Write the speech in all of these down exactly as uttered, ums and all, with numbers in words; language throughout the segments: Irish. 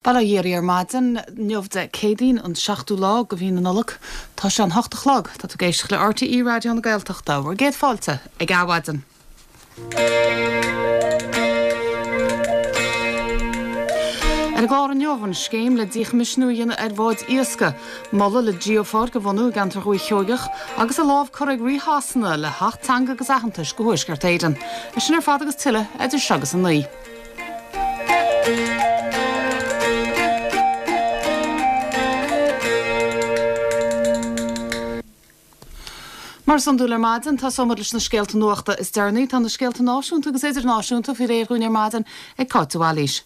Bail ó Dhia ar maidin inniu Dé Céadaoin an seachtú lá de mhí na Nollag Tá sé an hocht a chlog tá tú ag éisteacht le RTÉ Raidió na Gaeltachta bhur gcéad fáilte ag Adhmhaidin. Ar an gclár inniu an scéim le díchoimisiúnú a dhéanamh ar bháid iascaigh, moladh le geopháirc a bhunú i gceantar Dhúiche Sheoigeach agus a lámh curtha ag Rí Shasana le hAcht Teanga agus Aitheantais do Thuaisceart Éireann. É sin ar fad agus tuilleadh idir seo agus a naoi. Mar is iondúil ar maidin tosóimid leis na scéalta nuachta is deireanaí tá na scéalta náisiúnta agus idirnáisiúnta faoi réir dúinn ar maidin ag Cáit de Bhailís.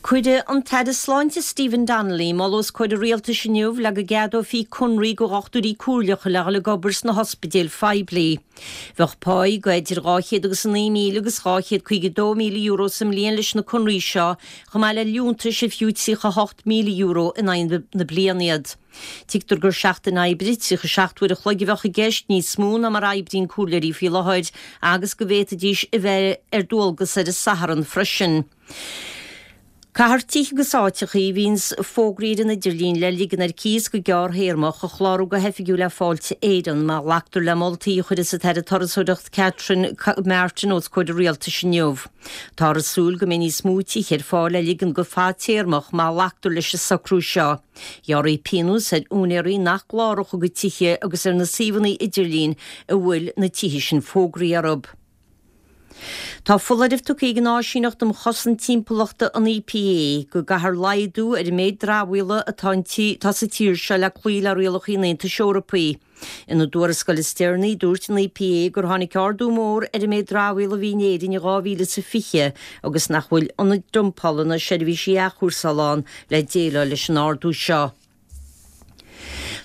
Cuirfidh an tAire Sláinte Stephen Donnelly moladh os comhair an rialtais inniu le go gceadófaí conraí do dhochtúirí comhairleacha le dhul ag obair sna hospidéil phoiblí. Bheadh páí de idir dhá chéad agus a naoi míle agus dhá chéad caoga dó míle euro sa mbliain leis na conraí seo, chomh maith le liúntais ar fiú tríocha hocht míle euro in aghaidh na bliana iad. Tuigtear gur seachtain oibre tríocha seacht uair a chloig a bheadh i gceist, níos mó ná mar a oibríonn comhairleoirí faoi láthair, agus go bhféadfaidís a bheith ar dualgas ar an Satharn freisin. Caithfear tithe agus áiteachaí a bhíonns fógraithe ar an idirlíon le ligean ar cíos go gearrthéarmach a chlárú go hoifigiúil le Fáilte Éireann má ghlactar le moltaí a chuirfeas an tAire Turasóireachta Catherine Martin os comhair an Rialtais inniu. Táthar ag súil go mbeidh níos mó tithe ar fáil le ligean go fadtéarmach má ghlactar leis an socrú seo. Ghearrfaí pionós ar úinéirí nach gcláródh a gcuid tithe agus ar na suíomhanna idirlín a bhfuil na tithe sin fógraithe orthu. Tá foláireamh tugtha ag an Áisíneacht um Chosaint Timpeallachta, an EPA, go gcaithfear laghdú ar an méid dramhaíola atá atá sa tír seo le cloí le rialacha an Aontais Eorpaigh. Ina dtuarascáil is deireanaí, dúirt an EPA gur tháinig ardú mór ar an méid dramhaíola a bhí in Éirinn in dhá mhíle is a fiche agus nach bhfuil ionaid dumpála ná seirbhísí athchúrsála ann le déileáil leis an ardú seo.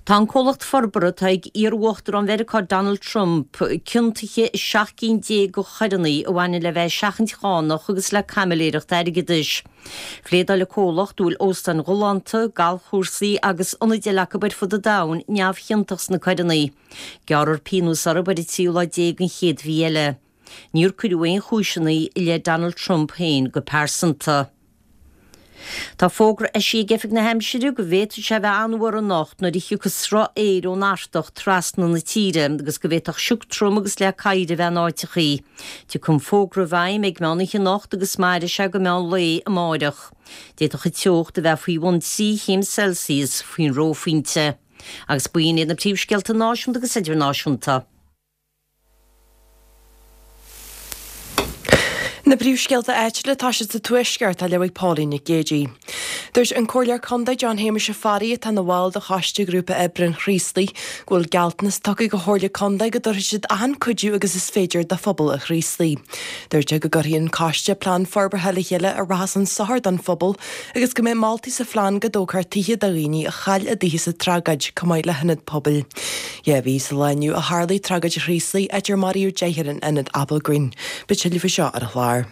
Tá an comhlacht forbartha atá ag iar-uachtarán Mheiriceá Donald Trump ciontaithe i seacht gcinn déag de choireanna a bhaineann le bheith ag seachaint chánach agus le caimiléireacht airgeadais. Phléadáil an comhlacht, a bhfuil óstáin ghalánta, galfchúrsaí agus ionaid eile acu ar fud an domhain, neamhchiontach sna coireanna. Gearrfar pionós orthu ar an tríú lá déag den chéad mhí eile. Níor cuireadh aon chúiseanna i leith Donald Trump féin go pearsanta. Tá fógra eisithe ag Oifig na hAimsire go bhféadfadh sé a bheith an-fhuar anocht nuair a thiocfas sruth aeir ón Artach trasna na tíre agus go bhféadfadh sioc trom agus leá oighir a bheith in áiteachaí. Tiocfaidh an fógra i bhfeidhm ag meán oíche anocht agus mairfidh sé go meán lae amáireach. D'fhéadfadh an teocht a bheith faoi bhun trí chéim Celsius faoin reophointe. Agus b'in iad na príomhscéalta náisiúnta agus idirnáisiúnta. Na príomhscéalta áitiúla atá siad sa Tuaisceart á léamh ag Pauline Nic Géadaigh. Dúirt an Comhairleoir Contae John Shéamuis Ó Fearraigh atá ina bhall de Choiste Ghrúpa Oibre an Chraoslaigh go bhfuil gealltanas tugtha ag an Chomhairle Contae go dtabharfaidh siad achan cuidiú agus is féidir do phobal an Chraoslaigh. Dúirt sé go gcuirfidh an coiste plean forbartha le chéile a rachas chun sochair don phobal agus go mbeidh moltaí sa phlean go dtógfar tithe do dhaoine a chaill a dtithe sa tragóid chomh maith le hionad pobail. Dhá mhí sa lá inniu a tharlaigh tragóid an Chraoslaigh, áit ar maraíodh deichniúr in ionad Applegreen. Beidh tuilleadh faoi seo ar an chlár.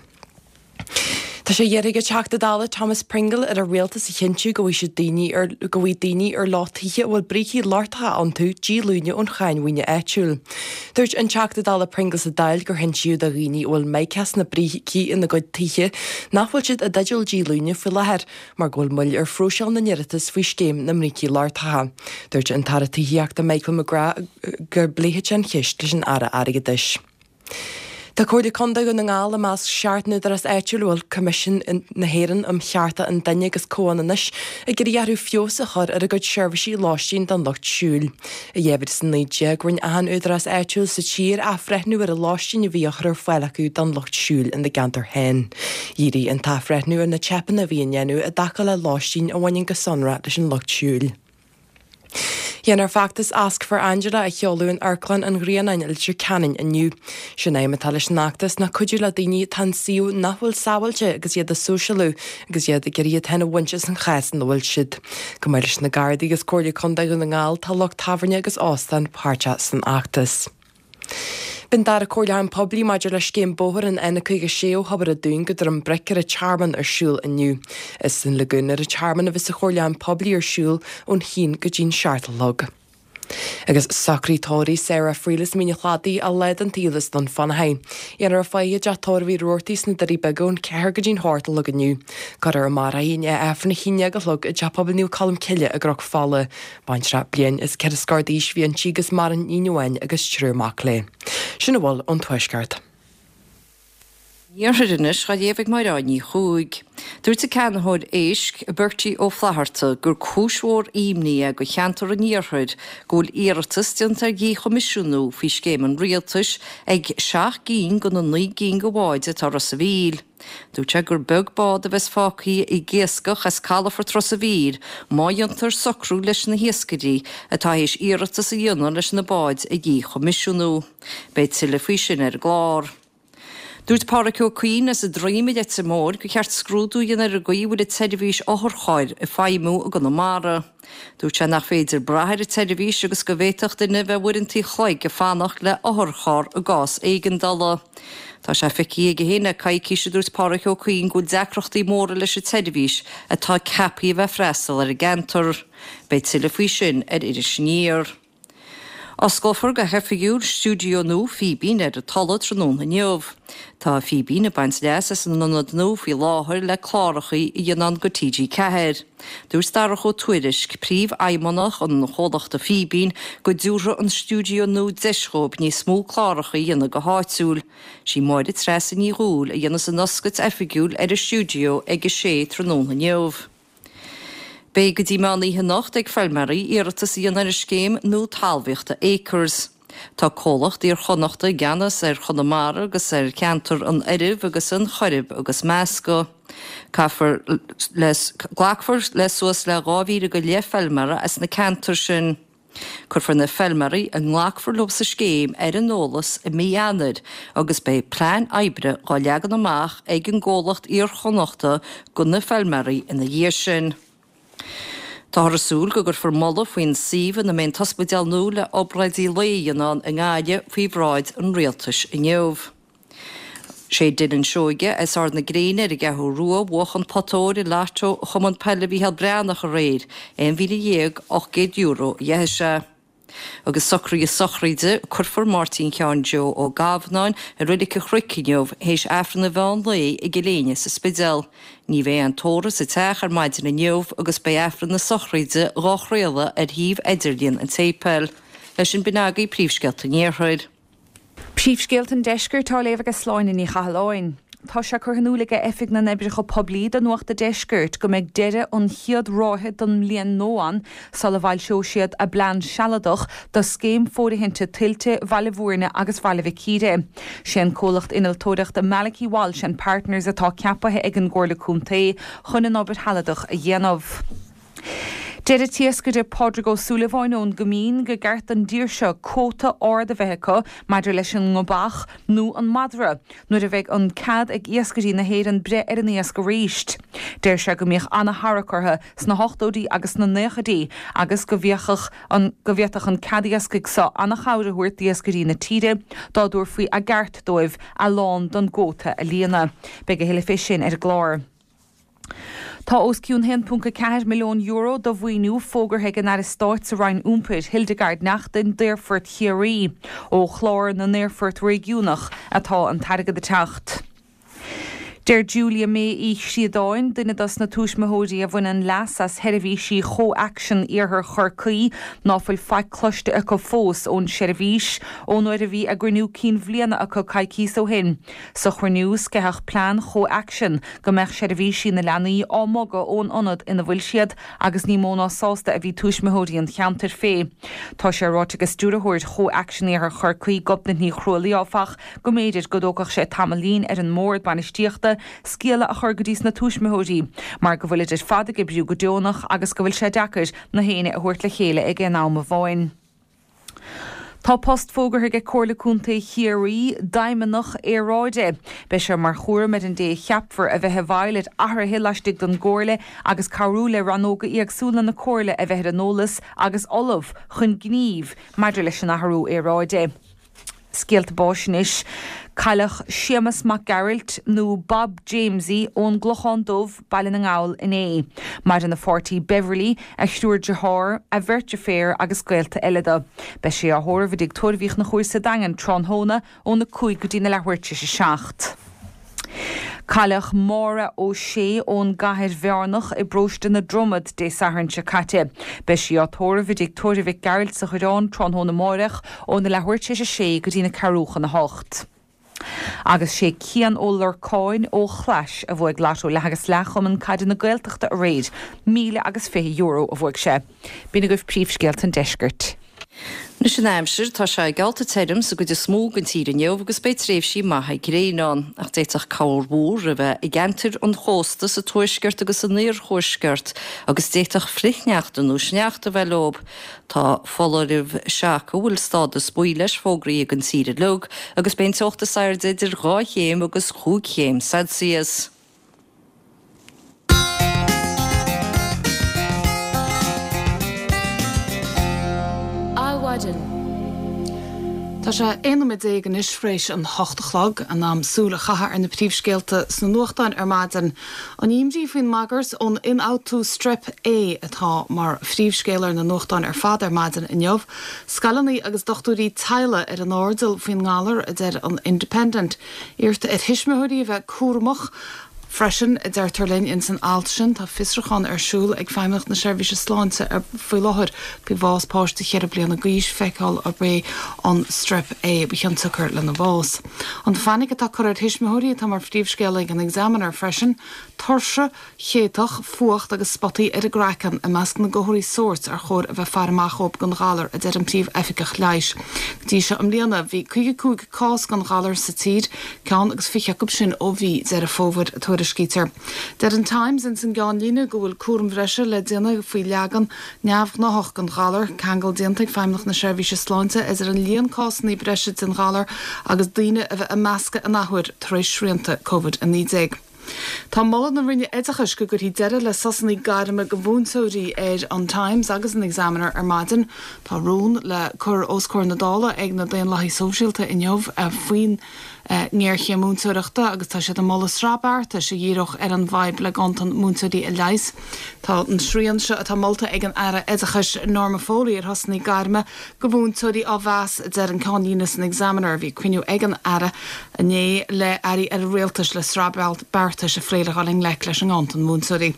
Tá sé iarrtha ag an Teachta Dála Thomas Pringle ar an Rialtas a chinntiú go bhfaighidh siad daoine ar go bhfaighidh daoine ar leo tithe a bhfuil brící lochtacha iontu díolúine ón cháin mhaoine áitiúil. Dúirt an Teachta Dála Pringle sa Dáil gur hinsíodh do dhaoine a bhfuil mica sna brící ina gcuid tithe nach bhfuil siad i dteideal díolúine faoi láthair mar go bhfuil moill ar phróiseáil na n-iarratas faoi scéim na mbrící lochtacha. Dúirt an tAire Tithíochta Michael McGrath go bpléifidh sé an cheist leis an Aire Airgeadais. Tá Comhairle Contae Dhún na nGall i measc seacht n-údarás áitiúil a bhfuil Coimisiún na hÉireann um Chearta an Duine agus Comhionannais ag iarraidh orthu feabhas a chur ar a gcuid seirbhísí lóistín don lucht siúil. I dhá mhíle is a naoi déag, rinne achan údarás áitiúil sa tír athbhreithniú ar an lóistín a bhí á chur ar fáil acu don lucht siúil ina gceantar féin. Dhírigh an t-athbhreithniú ar na teipeanna a bhí á ndéanamh i dtaca le lóistín a bhaineann go sonrath leis an lucht siúil. Déanfar feachtas Ask for Angela a sheoladh in Amharclann an Ghrianáin i Leitir Ceanainn inniu. Sé'n aidhm atá leis an fheachtas ná cuidiú le daoine atá in suíomh nach bhfuil sábháilte agus iad a sóisialú agus iad ag iarraidh iad féin a bhaint as an chás ina bhfuil siad. Chomh maith leis na Gardaí agus Comhairle Contae Dhún na nGall tá lucht tábhairne agus óstán páirteach san fheachtas. Beidh an dara comhairliúchán poiblí maidir le scéim bóthair an N caoga sé ó Thobar an Dúin go Droim Bric ar an Tearmann ar siúl inniu. Is san Lagoon ar an Tearmann a bheas an comhairliúchán poiblí ar siúl ón haon go dtí'n seacht a chlog. Agus socraid tórraimh Sarah Friel as Mín an Chladaigh a leid an taolas don Fanahain. Dhéanfar a faire i dteach tórraimh Uí Rabhartaigh sna Doirí Beaga ón ceathair go dtí'n hocht a chlog inniu. Cuirfear i mbarr í i Aifreann a haon déag a chlog i dTeach Pobail Naomh Colm Cille i gCnoc Fola. Baintreach bliain is ceithre scór d'aois a bhí inti agus maireann iníon amháin agus triúr mac léi. Sin a bhfuil ón Tuaisceart. Iarthar anois á léamh ag Máire Ní Chuaig. Dúirt an ceannaitheoir éisc Bertie Ó Flatharta gur cúis mhór imní é do cheantar an Iarthair go bhfuil iarratas déanta ar dhíchoimisiúnú faoi scéim an rialtais ag seacht gcinn de na naoi gcinn de bháid atá Ros an Mhíl. Dúirt sé gur beag bád a bheas fágtha ag iascach as calafort Ros an Mhíl má dhéantar socrú leis na hiascairí atá théis iarratas a dhéanamh leis na báid a dhíchoimisiúnú. Beidh tuilleadh faoi sin ar an gclár. Dúirt Pádraig Ó Cuinn as an Droim i Leitir Móir gur cheart scrúdú a dhéanamh ar an gcaoi a bhfuil an tseirbhís otharchairr ag feidhmiú i gConamara. Dúirt sé nach féidir brath ar an tseirbhís agus go bhféadfadh duine bheith uaireanta an chloig ag fanacht le otharcharr i gcás éigeandála. Tá sé feicthe aige féin le coicís a dúirt Pádraig Ó Cuinn go bhfuil deacrachtaí móra leis an tseirbhís atá ceaptha a bheith freastal ar an gceantar. Beidh tuilleadh faoi sin ar Iris Aniar. Osclófar go hoifigiúil stiúideo nua Fíbín ar an Tulaigh tráthnóna inniu. Tá Fíbín ag baint leas as an ionad nua faoi láthair le cláracha a dhéanamh do T G Ceathair. Dúirt Darach Ó Tuairisg, príomhfheidhmeannach an chomhlachta Fíbín, go dtabharfaidh an stiúideo nua deis dhóibh níos mó cláracha a dhéanamh go háitiúil. Sí Máire Treasa Ní Dhúill a dhéanfas an oscailt oifigiúil ar an stiúideo ag a sé tráthnóna inniu. Beidh go dtí meán oíche anocht ag feilméaraí iarratas a dhéanamh ar an scéim nua talmhaíochta Acres. Tá comhlacht Iar-Chonnachta i gceannas ar Chonamara agus ar cheantar an Oirimh agus an Choirib agus Measca. Caithfear le, glacfar le suas le dhá mhíle go leith feilméara as na ceantair sin. Cuirfear na feilméaraí a nglacfar leo sa scéim ar an eolas i mí Eanáir agus beidh plean oibre dhá leagan amach ag an gcomhlacht Iar-Chonnachta do na feilméaraí ina dhiaidh sin. Táthar ag súil go gcuirfear moladh faoin suíomh ina mbeidh an t-ospidéal nua le obráidí lae a dhéanamh i nGaillimh faoi bhráid an rialtais inniu. Sé Dylan Seoige as Ard na Gréine ar an gCeathrú Rua bhuach an pota óir i Lotto Chumann Peile Mhícheál Breathnach aréir, aon mhíle dhéag ocht gcéad euro a dheithe sé. Agus socruithe sochraide, cuirfear Máirtín Sheáin Joe Ó Gabhnáin i Reilig an Chnoic inniu théis Aifreann an mheán lae i gCill Éinne sa Spidéal. Ní bheidh aon tórramh sa teach ar maidin inniu agus beidh Aifreann na sochraide dhá chraoladh ar shuíomh idirlíon an tséipéil. Leis sin b'in agaibh príomhscéalta an Iarthair. Príomhscéalta an Deiscirt á léamh ag Sláine Ní Chathalláin. Tá sé curtha in iúl ag Oifig na nOibreacha Poiblí do Nuacht an Deiscirt go mbeidh deireadh an chéad ráithe den mbliain nua ann sula bhfoilseoidh siad a bplean sealadach do scéim fóirithinte tuilte Bhaile Bhúirne agus Bhaile Mhic Íre. Sé an comhlacht innealtóireachta Malachy Walsh and Partners atá ceaptha ag an gComhairle Contae chun an obair shealadach a dhéanamh. Deir an t-iascaire Pádraig Ó Súilleabháin ón gCoimín go gceart don dtír seo cuóta ard a bheith acu maidir leis an ngobach nó an madra nuair a bheidh an cead ag iascairí na hÉireann breith ar an iasc arís. Deir sé go mbíodh an-tharrac orthu sna hochtóidí agus sna naochaidí agus go bhféadfadh an go bhféadfadh an cead iascaigh seo an-chabhair a thabhairt d'iascairí na tíre dá dtabharfaí a gceart dóibh a lán don gcuóta a líonadh. Beidh a thuilleadh fé sin ar an gclár. Tá os cionn haon ponc a ceathair milliún euro de mhaoiniú fógartha ag an Aire Stáit sa Roinn Iompair, Hildegarde Naughton d'Aerfort Chiarraí ó chlár na n-aerfort réigiúnach atá an t-airgead ag teacht. Deir Julia May Uí Chríodáin, duine dos na tuismitheoirí a bhaineann leas as sheirbhísí Chomhaction Iarthar Chorcaí ná fuil faic cloiste acu fós ón seirbhís ón uair a bhí a gcruinniú cinn bhliana acu coicís ó shin. Sa chruinniú sceitheadh plean Chomhaction go mbeadh seirbhísí na leanaí á mbogadh ón ionad ina bhfuil siad agus ní mó ná sásta a bhí tuismitheoirí an cheantair fé. Tá sé ráite ag stiúrthóir Chomhaction Iarthar Chorcaí Gobnait Ní Chrualaoi áfach go mb'fhéidir go dtógfadh sé tamaillín ar an mbord bainistíochta scéala a chur go dtí sna tuismitheoirí, mar go bhfuil idir fad ag oibriú go deonach agus go bhfuil sé deacair na héinne a thabhairt le chéile ag aon am amháin. Tá post fógartha ag Comhairle Contae Chiarraí d'Fheidhmeannach Aeráide. Beidh sé mar chúram ar an dé a cheapfar a bheith i bhfeighil ar athruithe laistigh den gcomhairle agus cabhrú le rannóga éagsúla na comhairle a bheith ar an eolas agus ullamh chun gnímh maidir leis an athrú aeráide. Scéalta báis anois. Cailleadh Séamus Mac Gearailt nó Bob Jamesie ón gClochán Dubh, Baile na nGall inné. Maireann a pháirtí Beverly, a thriúr dearthár, a bheirt deirféar agus gaolta eile dó. Beidh sé á thórramh i dTigh Tórraimh Uí Chonchúir sa Daingean tráthnóna óna cúig go dtí na leathuair tar éis a seacht. Cailleadh Máire Ó Sé ón gCathair Bhearnach i bparóiste na Dromad Dé Sathairn seo caite. Beidh sí á tórramh i dTigh Tórraimh Mhic Gearailt sa Choireán tráthnóna amárach óna leathuair tar éis a sé go dtí na ceathrú chun a hocht. Agus sé Cian Ó Lorcáin ó Chlais a bhuaigh Lotto leath agus leath Chumann Caide na Gaeltachta aréir, míle agus fiche euro a bhuaigh sé. B'in agaibh príomhscéalta an deiscirt. Anois an aimsir, tá sé geallta tirim sa gcuid is mó den tír inniu agus beidh tréimhsí maithe gréine ann, ach d'fhéadfadh corrmhúr a bheith i gceantair an chósta sa tuaisceart agus san iarthuaisceart agus d'fhéadfadh frithshneachta nó sneachta a bheith leo. Tá foláireamh seaca a bhfuil stádas buí leis fógraithe don tír uilig agus beidh an teocht is airde idir dhá chéim agus chúig chéim Celsius. Adhmhaidin. Tá sé aon nóiméad déag anois tar éis an hocht a chlog, in am súil a chaitheamh ar na príomhscéalta sna nuachtáin ar maidin. An imní faoin mbagairt ón ionfhabhtú Strep A atá mar phríomhscéal ar na nuachtáin ar fad ar maidin inniu. Scoileanna agus dochtúirí teaghlaigh ar an airdeall faoin ngalar, a deir an Independent. Iarrtar ar thuismitheoirí a bheith cúramach freisin, a deirtear linn ins an alt sin. Tá fiosrúchán ar siúl ag Feidhmeannacht na Seirbhíse Sláinte faoi láthair faoi bhás páiste cheithre bliana d'aois, feiceáil arb é an Strep A ba chionsiocair lena bhás. An fainic atá curtha ar thuismitheoirí atá mar phríomhscéal ag an Examiner freisin, tuirse chéatach, fuacht agus spotaí ar an gcraiceann i measc na gcomharthaí sóirt ar chóir a bheith faire amach dhóibh don ghalar, a deir an Príomh-Oifigeach Leighis. Go dtí seo i mbliana, bhí caoga cúig cás den ghalar sa tír, ceann agus fiche acu sin ó mhí Deireadh Fómhair, a tuairiscítear. Deir an Times ins an gceannlíne go bhfuil cúram bhreise le déanamh faoi leagan neamhghnáthach den ghalar, ceangal déanta ag Feidhmeannacht na Seirbhíse Sláinte idir an líon cásanna breise den ghalar agus daoine a bheith ag meascadh an athuair tar éis srianta Covid a naoi déag. Tá moladh na Roinne Oideachais go gcuirfí deireadh le sosanna gairme do mhúinteoirí ar an Times agus an Examiner ar maidin. Tá rún le cur os comhair na Dála ag na Daonlathaithe Sóisialta inniu faoin ngéarchéim múinteoireachta agus tá siad ag moladh sraith beartais a dhíreodh ar an bhfadhb le ganntan múinteoirí a leigheas. Tá an srian seo atá molta ag an Aire Oideachais Norma Foley ar shosanna gairme do mhúinteoirí á mheas, a deir an ceannlíne san Examiner. Bhí cruinniú ag an Aire inné le airí eile rialtais le sraith beartais a phlé le dhul i ngleic leis an nganntan múinteoirí.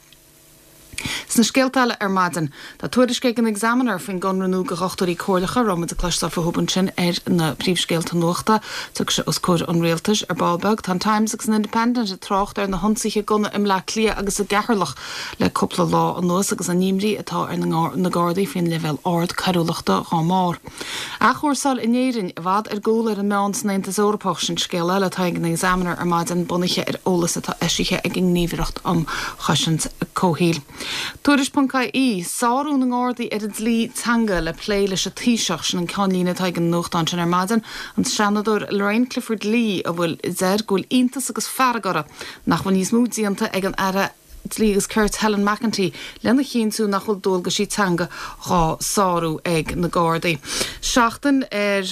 Sna scéalta eile ar maidin, tá tuairisc ag an Examiner faoin gconradh nua do dhochtúirí comhairleacha, a raibh muid ag cloisteáil fúthu ansin ar na príomhscéalta nuachta. Tiocfaidh sé os comhair an rialtais ar ball beag. Tá an Times agus an Independent ag trácht ar na hionsaithe gunna i mBleá Cliath agus i gCeatharlach le cúpla lá anuas agus an imní atá ar na Gardaí faoin leibhéal ard coiriúlachta dhá mbarr. Athchúrsáil in Éirinn i bhfad ar gcúl ar an meán san Aontas Eorpach, sin scéal eile atá ag an Examiner ar maidin, bunaithe ar eolas atá eisithe ag an nGníomhaireacht um Chosaint Comhshaoil. Tuairisc ponc IE, Sárú na nGardaí ar an dlí teanga le plé leis an Taoiseach, sin an ceannlíne atá ag an nuachtán sin ar maidin. An Seanadóir Lorraine Clifford Lee a bhfuil a deir go bhfuil iontas agus fearg orthu nach bhfuil níos mó déanta ag an Aire Dlí agus Cirt Helen McEntee lena chinntiú nach bhfuil dualgaisí teanga dhá sárú ag na Gardaí. Seachtain ar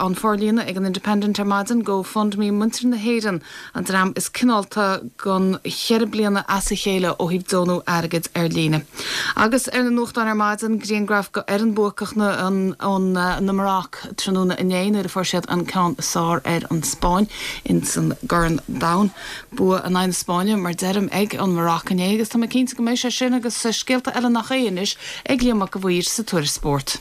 an forlíonadh ag an Independent ar maidin, GoFundMe Muintir na hÉireann an dream is cineálta don cheithre bliana as a chéile ó thaobh deonú airgid ar líne. Agus ar na nuachtáin ar maidin, grianghraf de fhoireann buacach na na Maroc tráthnóna inné nuair a fuair siad an ceann is fearr ar an Spáinn ins an gCorn Domhain. Bua in aghaidh na Spáinne, mar deirim, ag an Maroc inné agus tá mé cinnte go mbeidh sé sin agus scéalta eile nach é anois ag Liam Mac a' Mhaoir sa Tuairisc Spóirt.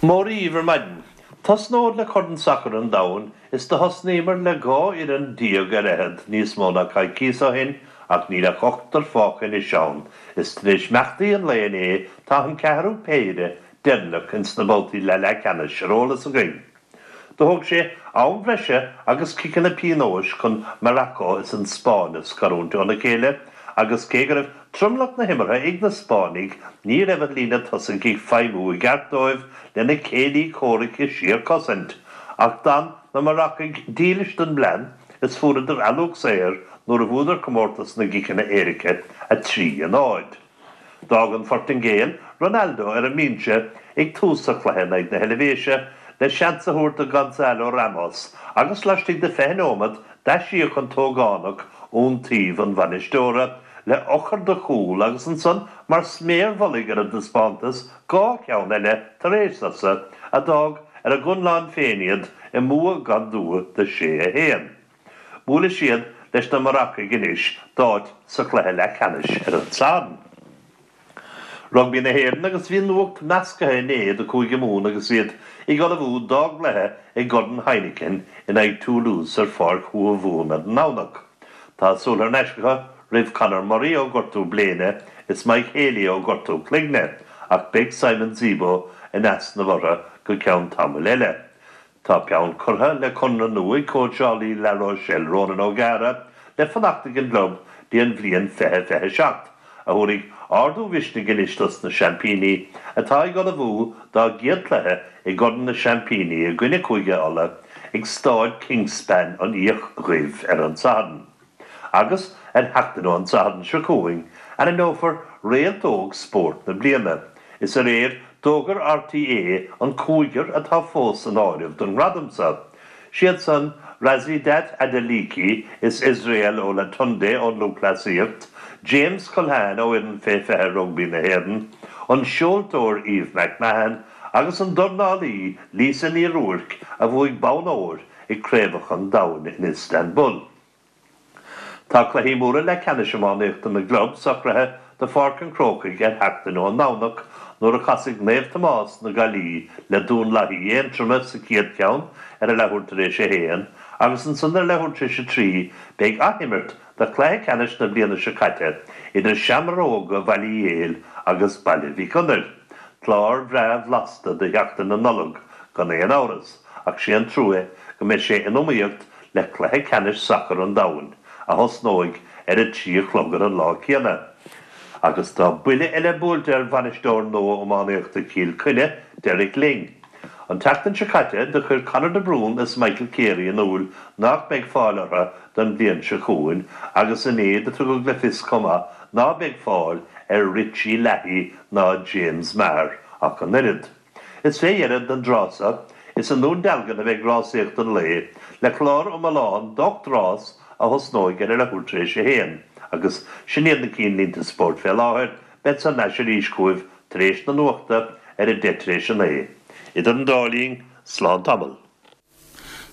Móra dhíbh ar maidin. Tosnód le Corn Sacair an Domhain is do thosnaíomar le dhá fhoireann déag ar fhichead níos mó ná coicíos ó shin ach níl ach ochtar fágtha anois ann is tar éis imeachtaí an lae inné tá an ceathrú péire deireanach ins na babhtaí leath-leathcheannais ar eolas againn. Do thóg sé am bhreise agus ciceanna pionóis chun Maracó is an Spáinn a scarúint óna chéile agus cé go raibh tromlach na himeartha ag na Spáinnigh ní raibh an líne tosaigh ag feidhmiú i gceart dóibh lena céilí comhraic i síorchosaint. Ach d'fhan na Maracaigh dílis don bplean is fuaireadar ealóg saor nuair a bhuadar comórtas na gciceanna éirice, a trí a náid. D'fhág an Phortaingéil Ronaldo ar an mbinse ag tús a chluiche in aghaidh na hEilvéise le seans a thabhairt do Gonçalo Ramos agus laistigh de fiche nóiméad d'aisíoc an t-ógánach iontaoibh an bhainisteora le eochair do chúl agus ansan mar sméar mhullaigh ar an dtaispeántas dhá cheann eile tar éis sosa a d'fhág ar a gconlán féin iad i mbua gan dua de sé a haon. Buailfidh siad leis na Maracaigh anois d'áit sa chluiche leathcheannais ar an Satharn. Rugbaí na hÉireann agus bhí nuacht measctha inné do Chúige Mumhan agus iad ag ullmhú dá gcluiche i gCorn Heineken in aghaidh Toulouse ar Pháirc Thuamhumhan ar an nDomhnach. Tá súil thar n-ais acu roimh Conor Murray ó ghortú bléine is Mike Haley ó ghortú cloigne ach beidh Simon Zebo in easnamh orthu go ceann tamaill eile. Tá peann curtha le conradh nua ag cóitseálaí La Rochelle Ronan O'Gara le fanacht ag an gclub dtí an bhliain fiche fiche seacht, a thabharfaidh ardú mhisnigh anois dos na seaimpíní atá ag ullmhú dá gcéad chluiche i gCorn na Seaimpíní i gcoinne Chúige Uladh ag Staid Kingspan an Fhiaich Dhuibh ar an Satharn. Agus ar sheachtain ón Satharn seo chugainn, ainmneofar Réalt Óg Spóirt na Bliana. Is aréir d'fhógair RTÉ an cúigear atá fós san áireamh don ngradam seo. Siad san Rhasidat Adeleke is Israel Olatunde ón lúthchleasaíocht, James Culhane ó fhoireann fé fiche rugbaí na hÉireann, an seoltóir Eve McMahon agus an dornálaí Lisa Ní Ruairc a bhuaigh bonn óir ag Craobhacha an Domhain in Istanbul. Tá cluichí móra leathcheannais iománaíochta na gclub socraithe do Pháirc an Chrócaigh ar sheachtain ón nDomhnach nuair a chasfaidh Naomh Tomás na Gaillimhe le Dún Lathaí Aontroma sa chéad cheann ar a leathuair tar éis a haon agus ansan ar leathuair tar éis a trí beidh athimirt de chluiche ceannais na bliana seo caite idir Seamróga Bhaile Uí Éil agus Baile Mhic Gonair. Clár bhreá bhlasta do sheachtain na Nollag gan aon amhras ach sé an trua go mbeidh sé in iomaíocht le cluiche ceannais sacair an domhain, a thosnóidh ar a trí a chlog ar an lá céanna. Agus tá buille eile buailte ar bhainisteoir nua iománaíochta Chill Chainnigh, Derek Lyng. An tseachtain seo caite, do chuir Conor de Brún is Michael Carey in iúl nach mbeidh fáil orthu don bhliain seo chugainn agus inné do tugadh le fios chomh maith ná beidh fáil ar Richie Leahy ná James Maher ach an oiread. Is fé dheireadh don dtráth seo, is i nDún Dealgan a bheidh rásaíocht an lae, le clár iomlán d'ocht rás a thosnóidh ar a leathuair tar éis a haon, agus sin iad na cinnlínte spóirt fé láthair, bead thar n-ais arís chugaibh tar éis na nuachta ar a deich tar éis a naoi. Idir an dá linn, slán tamall.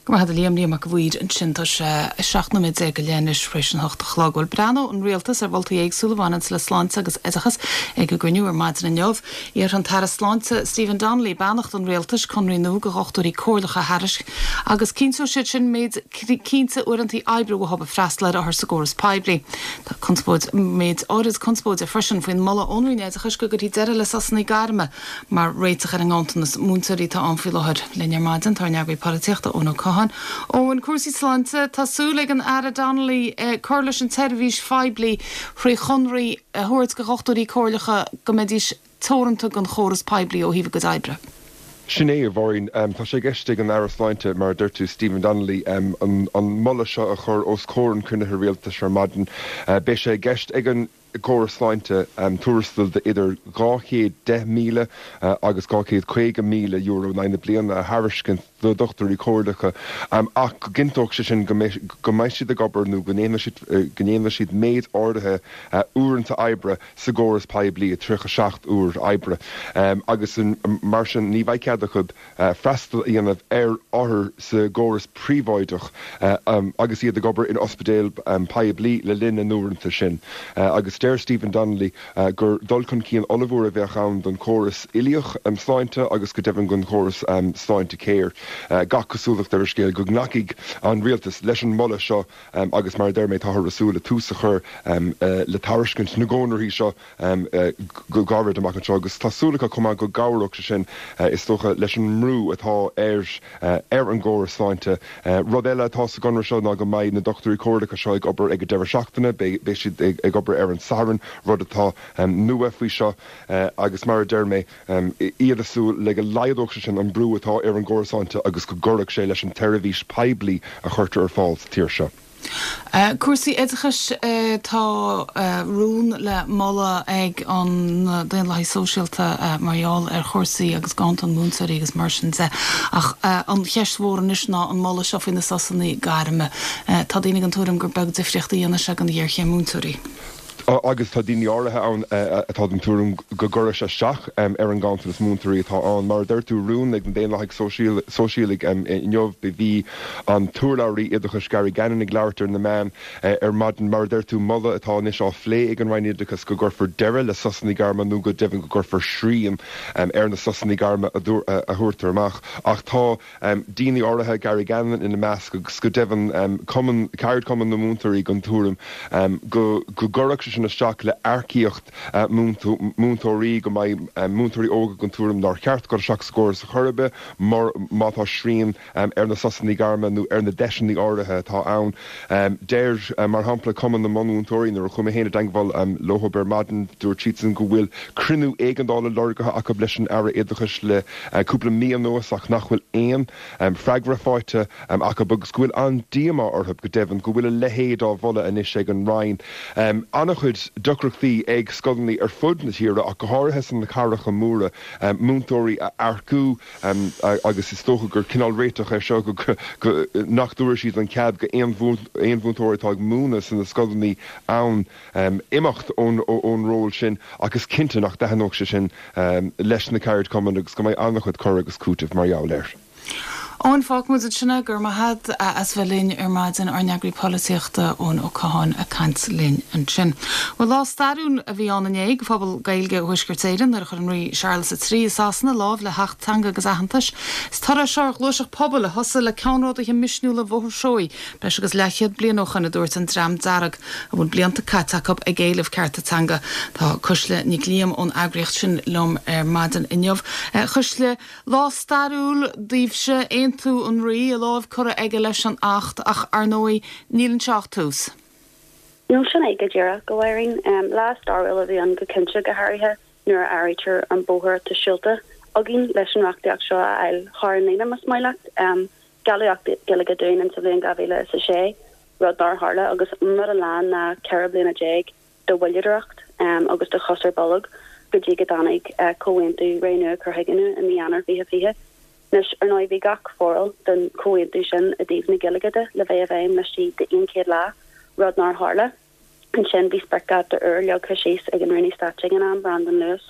Go maith a Liam, Liam Mac a' Mhaoir ansin. Tá sé seacht nóiméad déag go leith anois tar éis an hocht a chlog. Bhuel, breathnóidh an Rialtas ar mholtaí éagsúla a bhaineanns le sláinte agus oideachas ag a gcruinniú ar maidin inniu. Iarrfaidh an tAire Sláinte Stephen Donnelly beannacht an Rialtais conraí nua do dhochtúirí comhairleacha a thairisc agus cinnteoidh siad sin méid cinnte uaireanta oibre uathu ag freastal ar othair sa gcóras poiblí. Tá conspóid méid áirid conspóide freisin faoin moladh ón Roinn Oideachais go gcuirfí deireadh le sosanna gairme mar réiteach ar an nganntanas múinteoirí atá ann faoi láthair. Linn ar maidin tá ár n-eagraí polaitíochta Eoin Ó Catháin. Eoin, cúrsaí sláinte, tá súil ag an Aire Donnelly cur leis an tseirbhís phoiblí thrí chonraí a thabhairt do dhochtúirí comhairleacha go mbeidís teoranta don chóras poiblí ó thaobh a gcuid oibre. Sin é, a Mháirín. Tá sé i gceist ag an Aire Sláinte, mar a dúirt tú, Stephen Donnelly, an moladh seo a chur os comhair an chruinnithe rialtais ar maidin. Beidh sé i gceist ag an gcóras sláinte tuarastal de idir dhá chéad deich míle agus dhá chéad caoga míle euro in aghaidh na bliana a thairiscint do dhochtúirí comhairleacha ach go gcinnteodh sé sin go mbeidh siad ag obair nó go ndéanfaidh siad méid áirithe uaireanta oibre sa gcóras poiblí, tríocha seacht uair oibre, agus mar sin ní bheidh cead acu freastal a dhéanamh ar othair sa gcóras príobháideach agus iad ag obair in ospidéal poiblí le linn na n-uaireanta sin. Agus deir Stephen Donnelly gur dul chun cinn ollmhór a bheadh ann don chóras uilíoch sláinte agus go deimhin don chóras Sláintecare. Gach cosúlacht ar an scéal go nglacfaidh an rialtas leis an moladh seo agus mar a deir mé táthar ag súil le tús a chur le tairiscint na gconarthaí seo go gairid amach anseo agus tá súil acu chomh maith go gcabhródh sé sin is dócha leis an mbrú atá ar ar an gcóras sláinte. Rud eile atá sa gconradh seo ná go mbeidh na dochtúirí comhairleacha seo ag obair ag an deireadh seachtaine, beidh siad ag obair ar an Satharn, rud atá nua faoi seo agus mar a deir mé, iad ag súil le go laghdódh sé sin an brú atá ar an gcóras sláinte agus go gcuirfeadh sé leis an tseirbhís poiblí a chuirtear ar fáil sa tír seo. Cúrsaí oideachais, Tá rún le moladh ag an Daonlathaí Sóisialta mar gheall ar chúrsaí agus ganntan múinteoirí agus mar sin de. Ach an cheist mhór anois ná an moladh seo faoi na sosanna gairme. Tá daoine den tuairim gur beag difríocht a dhéanfaidh sé don ghéarchéim múinteoirí. Agus tá daoine áirithe ann atá den tuairim go gcuirfidh sé isteach ar an nganntanas múinteoirí atá ann. Mar a deir tú, rún ag na Daonlathaigh Sóisialaigh inniu, bhí an t-urlabhraí oideachais Gary Gannon ag labhairt ar na meáin ar maidin. Mar a deir tú, moladh atá anois á phlé ag an Roinn Oideachais go gcuirfear deireadh le sosanna gairme nó go deimhin go gcuirfear srian ar na sosanna gairme a thabhartar amach. Ach tá daoine áirithe, Gary Gannon ina measc agus go deimhin cumann, ceardchumann na múinteoirí den tuairim go gcuirfeadh sé sin isteach le earcaíocht múinteoirí, go mbeidh múinteoirí óga den tuairim nár cheart dul isteach sa gcóras ar chor ar bith mar má tá srian ar na sosanna gairme nó ar na deiseanna áirithe atá ann. Deir, mar shampla, Cumann na mBunmhúinteoirí, nuair a chuaigh mé féin i dteangmháil leo ar maidin, dúirt siadsan go bhfuil cruinniú éigeandála lorgaithe acu leis an Aire Oideachais le cúpla mí anuas ach nach bhfuil aon freagra faighte acu agus go bhfuil an-díomá orthu, go deimhin, go bhfuil a leithéid á mholadh anois ag an Roinn. An-chuid deacrachtaí ag scoileanna ar fud na tíre ach go háirithe sna cathracha móra, múinteoirí a earcú agus is dócha gur cineál réiteach é seo go nach dtabharfaidh siad an cead go aon mhúinteoir atá ag múineadh sna scoileanna ann imeacht ón ról sin ach is cinnte nach dtaitneodh sé sin leis na ceardchumainn agus go mbeidh an-chuid cur agus cúitimh mar gheall air. Eoin, fágfaidh muid ansin é, go raibh maith agat as bheith linn ar maidin, ár n-eagraí polaitíochta Eoin Ó Catháin ag caint linn ansin. Bhuel, lá stairiúil a bhí ann inné do phobal Gaeilge Thuaisceart Éireann nuair a chuir an Rí Séarlas a Trí i Sasana lámh le hAcht Teanga agus Aitheantais. Is toradh é seo ar ghluaiseacht pobail a thosaigh le ceannródaithe misniúla Bhóthar Seoighe breis agus leathchéad bliain ó shoin, a dúirt an Dream Dearg, a bhfuil blianta caite acu ag éileamh cearta teanga. Tá Cuisle Nic Liam ón eagraíocht sin liom ar maidin inniu. A Chuisle, lá stairiúil daoibhse, aontú an Rí, a lámh curtha aige leis an Acht, ach ar ndóigh, níl anseo ach tús. Nó sin é go díreach, a Mháirín. Lá stairiúil a bhí ann go cinnte, go háirithe nuair a áirítear an bóthar atá siúlta againn leis an reachtaíocht seo a fháil thar an líne, más maith leat. Gealladh Acht Gaeilge dúinn insa bhliain dhá mhíle is a sé, rud nár tharla, agus an rud a lean ná ceithre bliana déag de mhoilleadóireacht agus de chos ar bolg go dtí go dtáinig comhaontú Ré Nua Cur Chuige Nua i mí Eanáir fiche fiche. Anois, ar ndóigh, bhí gach foráil den chomhaontú sin i dtaobh na Gaeilge de le bheith i bhfeidhm laistigh d'aon chéad lá, rud nár tharla. Ansin bhí spriocdháta úr leagtha síos ag an Rúnaí Stáit ag an am, Brandon Lewis,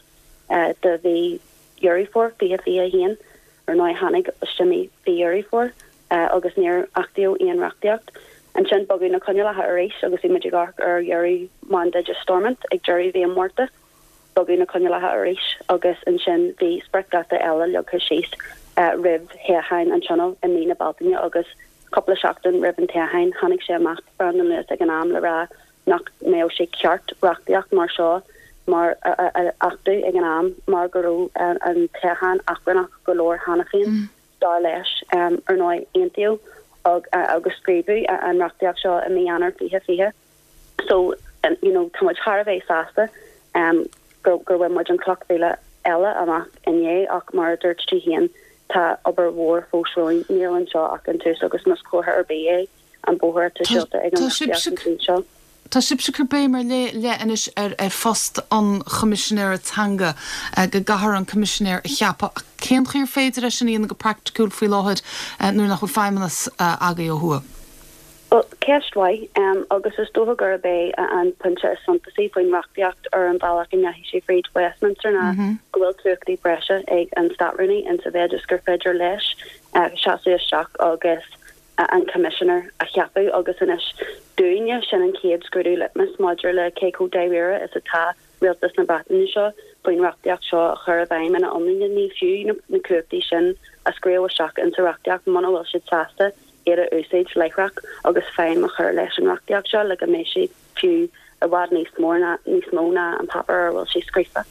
do mhí Dheireadh Fómhair fiche fiche a haon. Ar ndóigh, tháinig isteach mí Dheireadh Fómhair agus níor achtaíodh aon reachtaíocht. Ansin bogadh na coinníollacha arís agus bhí muid ag amharc ar dheireadh mandáid Stormont ag deireadh mhí an Mhárta. Bogadh na coinníollacha arís agus ansin bhí spriocdháta eile leagtha síos roimh thoghchán an Tionóil i mí na Bealtaine agus cúpla seachtain roimh an toghchán tháinig sé amach, Brandon Lewis ag an am, le rá nach mbeadh sé ceart reachtaíocht mar seo mar a achtú ag an am mar go raibh an toghchán achrannach go leor cheana féin, dar leis. Ar ndóigh, aontaíodh agus scríobhadh an reachtaíocht seo i mí Eanáir fiche fiche. So, you know, tá muid thar a bheith sásta gur gur bhain muid an cloch mhíle eile amach inné ach mar a dúirt tú féin, tá obair mhór fós romhainn. Níl anseo ach an tús agus más comhartha ar bith é an bóthar atá siúlta ag an reachtaíocht an tslí seo. Tá sibhse ag cur béim ar leith anois ar phost an Choimisinéara Teanga, go gcaithfear an Coimisinéir a cheapadh. Ach cén chaoi ar féidir é sin a dhéanamh go praiticiúil faoi láthair nuair nach bhfuil feidhmeannas agaibh ó thuaidh? Bhuel, ceist mhaith, agus is dócha gurb é an pointe is suntasaí faoin reachtaíocht ar an bhealach a ndeachaigh sé fríd Westminster ná go bhfuil cumhachtaí breise ag an Státrúnaí insa mhéid is gur féidir leis seasamh isteach agus an Coimisinéir a cheapadh agus anois dúinne, sin an chéad scrúdú litmis maidir le cé chomh dáiríre is atá Rialtas na Breataine seo faoin reachtaíocht seo a chur i bhfeidhm ina iomláine. Ní fiú na cumhachtaí sin a scríobh isteach insa reachtaíocht muna bhfuil siad sásta iad a úsáid láithreach agus feidhm a chur leis an reachtaíocht seo le go mbeidh sé fiú i bhfad níos mór ná níos mó ná an páipéar ar a bhfuil sé scríofa.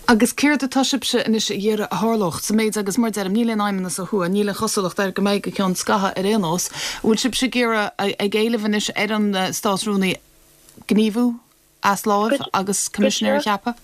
Agus céard atá sibhse anois ag iarraidh a tharlódh sa méid agus mar deirim, níl aon fheidhmeannas ó thuaidh, níl aon chosúlacht air go mbeidh go ceann scaithimh ar aon nós. An bhfuil sibhse ag iarraidh, ag éileamh anois ar an Státrúnaí gníomhú as láimh agus Coimisinéir a cheapadh?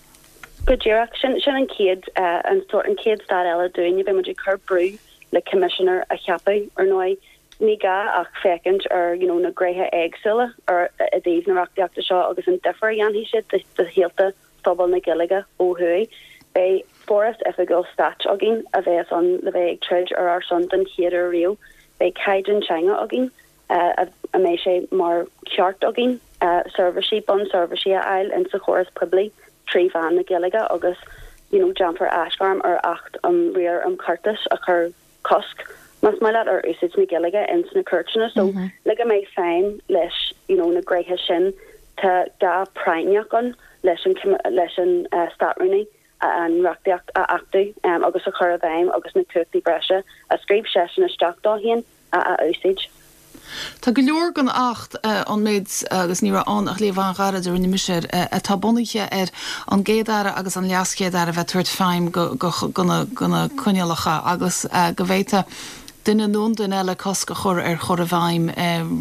Go díreach. Sin sin an chéad an sórt an chéad stad eile dúinne. Beidh muid ag cur brú le Coimisinéir a cheapadh. Ar ndóigh, Ní gá ach féachaint ar you know, na gnéithe éagsúla ar i dtaobh na reachtaíochta seo agus an difear a dhéanfaidh siad do shaolta phobal na Gaeilge ó thuaidh. Beidh foras oifigiúil stáit againn a bheas ann le bheith ag troid ar ár son den chéad uair riamh. Beidh caighdeán teanga againn a mbeidh sé mar cheart againn seirbhísí, bunseirbhísí a fháil insa chóras poiblí trí mheán na Gaeilge agus you know déanfar aisghairm ar Acht um Riar um Chortas a chuir cosc, más maith leat, ar úsáid na Gaeilge ins na cúirteanna. So le go mbeidh feidhm leis you know na gnéithe sin tá gá práinneach ann leis an leis an Státrúnaí an reachtaíocht a achtú agus a chur i bhfeidhm agus na cumhachtaí breise a scríobh seisean isteach dó féin a úsáid. Tá go leor den Acht, an méid agus ní raibh ann ach léamh an-ghairid a rinne mise air, atá bunaithe ar an gCéad-Aire agus an LeasChéad-Aire a bheith ag tabhairt feidhm go na coinníollacha agus go bhféadfadh duine nó an duine eile cosc a chur ar chur i bhfeidhm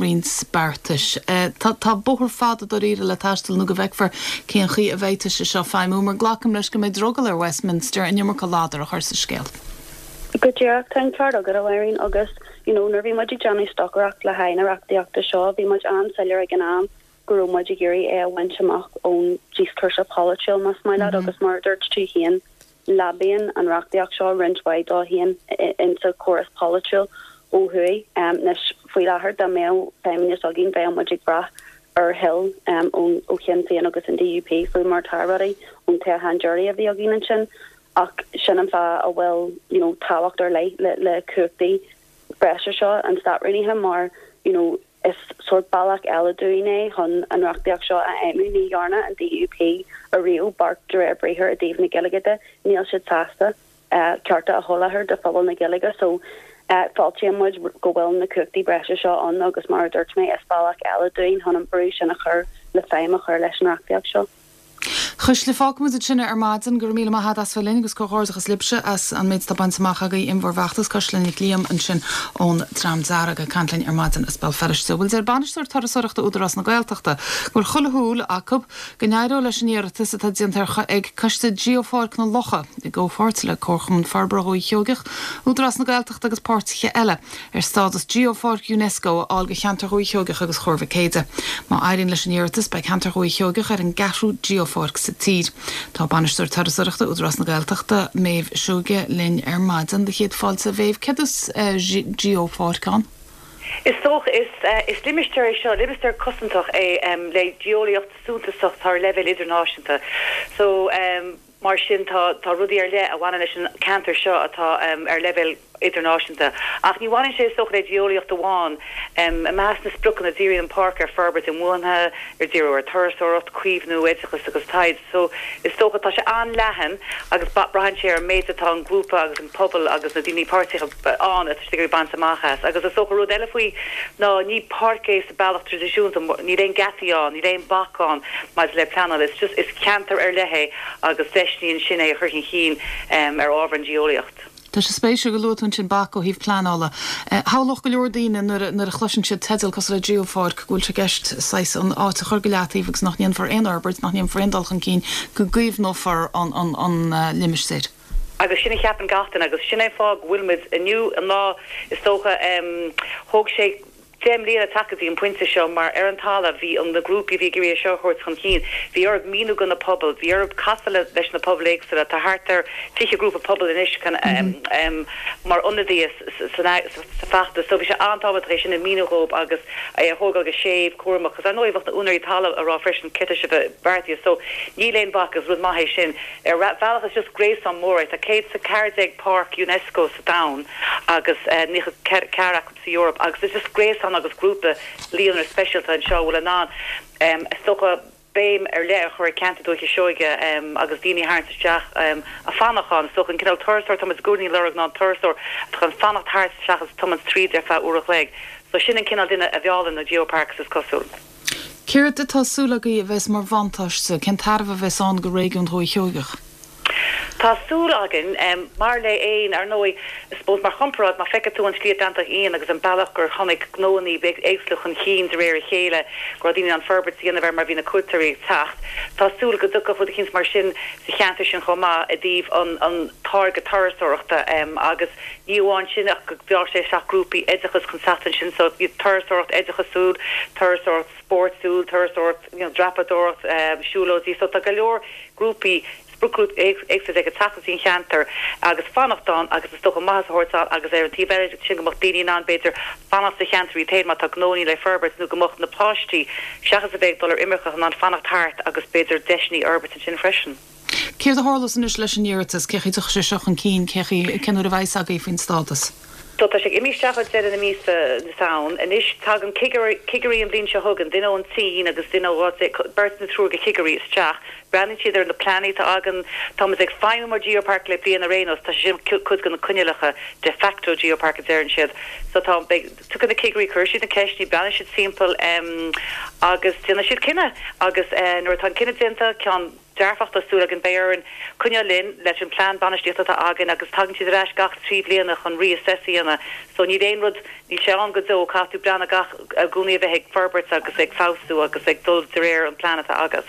roinnt beartais. Tá bóthar fada dáiríre le taisteal nó go bhfeicfear cén chaoi a bhféadfaidh sé seo feidhmiú, mar glacaim leis go mbeidh drogall ar Westminster an iomarca ladar a chur sa scéal. Go díreach, tá an ceart agat, a Mháirín, agus you know nuair bhí muid ag déanamh stocaireacht le haghaidh na reachtaíochta seo, bhí muid an-soiléir ag an am go raibh muid ag iarraidh é a bhaint amach ón díoscúrsa polaitiúil, más maith leat, agus mar a dúirt tú féin, leabaíonn an reachtaíocht seo roinnt mhaith dó féin insa chóras polaitiúil ó thuaidh. Anois, faoi láthair, dá mbeadh feidhmeannas againn, bheadh muid ag brath ar thoil ó Shinn Féin agus an DUP faoi mar atá rudaí ón toghchán deiridh a bhí againn ansin. Ach sin an fáth a bhfuil you know tábhacht ar leith le le cumhachtaí breise seo an Státrúnaithe mar you know is sórt bealach eile dúinn é chun an reachtaíocht seo a fheidhmiú. Ní dhearna an DUP ariamh beart de réir briathair i dtaobh na Gaeilge de. Níl siad sásta cearta a sholáthar do phobal na Gaeilge so fáiltíonn muid go bhfuil na cumhachtaí breise seo ann agus mar a dúirt mé is bealach eile dúinn chun an brú sin a chur le feidhm a chur leis an reachtaíocht seo. Cuisle, fágfaimid ansin é ar maidin. Go raibh míle maith agat as bheith linn agus comhghairdeachas libhse as an méid atá bainte amach agaibh in bhur bhfeachtas. Cuisle Nic Liam ansin ón Dream Dearg ag caint linn ar maidin as Béal Feirste. Bhuel, deir Bainisteoir Turasóireachta Údarás na Gaeltachta go bhfuil chuile shúil acu go n-éireoidh leis an iarratas atá déanta ag Coiste Geopháirc na Locha i gcomhpháirt le Comharchumann Forbartha Dhúiche Sheoigeach, Údarás na Gaeltachta agus páirtithe eile ar stádas Geopháirc Unesco a fháil do cheantar Dhúiche Sheoigeach agus Chorr Mhic Éide. Má éiríonn leis an iarratas, beidh ceantar Dhúiche Sheoigeach ar an gceathrú Geopháirc sa tír. Tá Bainisteoir Turasóireachta Údarás na Gaeltachta, Méabh Seoige, linn ar maidin. Do chéad fáilte, a Mhéabh. Céard is Geopháirc ann? Is dócha, is limistéar é seo, limistéar cosantach é le geolaíocht suntasach atá ar leibhéal idirnáisiúnta. So, mar sin, tá rudaí ar leith a bhaineann leis an ceantar seo atá ar leibhéal idirnáisiúnta. Ach ní bhaineann sé, is dócha, le geolaíocht amháin. I measc na spriocanna, díríonn an páirc ar forbairt inbhuanaithe, ar díriú ar turasóireacht, caomhnú, oideachas agus taighde. So, is dócha, tá sé an-leathan agus braitheann sé ar an méid atá an grúpa agus an pobal agus na daoine páirteacha ann atá siad ag iarraidh baint amach as. Agus is dócha, rud eile faoi ná ní páirc é sa bealach traidisiúnta, níl aon geataí ann, níl aon bac ann maidir le pleanáil. It's just, is ceantar ar leith é agus deis ansin é a chur chun cinn ar ábhar an geolaíocht. Tá sé spéisiúil go luaigh tú ansin bac ó thaobh pleanála. Shamhlódh go leor daoine nuair a chloiseann siad teideal cosúil le Geopháirc go bhfuil sé i gceist saghas an áit a chur go leataobh agus nach ndéanfar aon fhorbairt, nach ndéanfar aon dul chun cinn, go gcaomhnófar an limistéar. Agus sin a cheapann gach duine agus sin é an fáth go bhfuil muid inniu an lá is dócha. Thóg sé. deich mbliana teacht go dtí an pointe seo mar ar an talamh bhí an na grúpaí a bhí ag iarraidh é seo a thabhairt chun cinn, bhí orthu míniú do na pobail, bhí orthu casadh le leis na pobail éagsúla, tá thart ar fiche grúpa pobail anois mar ionadaithe sa feachtas so bhí sé an-tábhachtach é sin a mhíniú dhóibh agus é a thógáil go séimh, cúramach agus ar ndóigh bheadh na úinéirí talaimh ag rá freisin céard tá sibh beartaithe so níl aon bhac is rud maith é sin. Ar bhealach is just gréasán mór é, tá céad is a ceathair déag páirc Unesco sa domhan agus naocha ceathair acu sa Eoraip agus is just gréasán agus grúpa líonra speisialta anseo a bhfuil in ann is dócha béim ar leith a chur ar cheantar Dúiche Seoige agus daoine a tharraingt isteach a fanacht ann. Is dócha an cineál turasóir atá muid i gcónaí ag lorg ná an turasóir atá chun fanacht thart seachas tiomáint tríd ar feadh uair a chloig. So sin an cineál duine a mheallann na geoparks is cosúil. Céard atá súil agaibh a bheas mar bhuntáiste, cén tairbhe a bheas ann do réigiún Dhúiche Sheoigeach? Tá súil againn, mar le aon, ar ndóigh, I suppose mar chomparáid, má feiceann tú an Sliabh Dantach Fhiáin agus an bealach gur tháinig gnóannaí éagsúla chun chinn de réir a chéile, go raibh daoine in ann forbairt a dhéanamh air mar bhí na cuairteoirí ag teacht, tá súil go dtiocfadh rud eicínt mar sin sa cheantar sin chomh maith i dtaobh an an táirge turasóireachta agus ní amháin sin ach go mheallfadh sé isteach grúpaí oideachais chun teacht ansin so turasóireacht oideachasúil, turasóireacht spórtúil, turasóireacht you know dreapadóireacht, siúlóidí so tá go leor grúpaí spriocghrúpaí éagsúla ag teacht go dtí an cheantar agus fanacht ann agus is dócha maitheas a thabhairt ann agus ar an taobh eile sin go mbeadh daoine in ann b'fhéidir fanacht sa cheantar iad féin má tá gnónnaí le forbairt nó go mbeadh na páistí seachas a bheith ag dul ar imirce in ann fanacht thart agus b'fhéidir deiseanna a fhorbairt ansin freisin. Céard a tharlós anois leis an iarratas? Cé chaoi a dtiocfaidh sé seo chun cinn? Cé chaoi, cén uair a bheidh a fhios agaibh faoin stádas? So tá sé ag imeacht isteach ag deireadh na míosa na Samhna. Anois tagann cigirí an bhliain seo chugainn, duine ón tSín agus duine ó beirt nó triúr de chigirí isteach. Breathnaíonn siad ar na pleananna atá againn. Táimid ag feidhmiú mar Geopark le bliain ar aon nós, tá sé sin cuid de na coinníollacha, de facto Geopark a deireann siad. So tá, beidh, tiocfaidh na cigirí, cuirfidh siad na ceisteanna, breathnóidh siad timpeall agus déanfaidh siad cinneadh. Agus nuair atá an cinneadh déanta, ceann dearfach tá súil againn, beidh orainn coinneáil linn leis an plean bainistíochta atá againn agus tagann siad ar ais gach trí bliana chun reassess a dhéanamh so níl aon rud, níl sé ann go deo, caithfidh tú breathnú gach, i gcónaí a bheith ag forbairt agus ag feabhsú agus ag dul de réir an plean atá agat.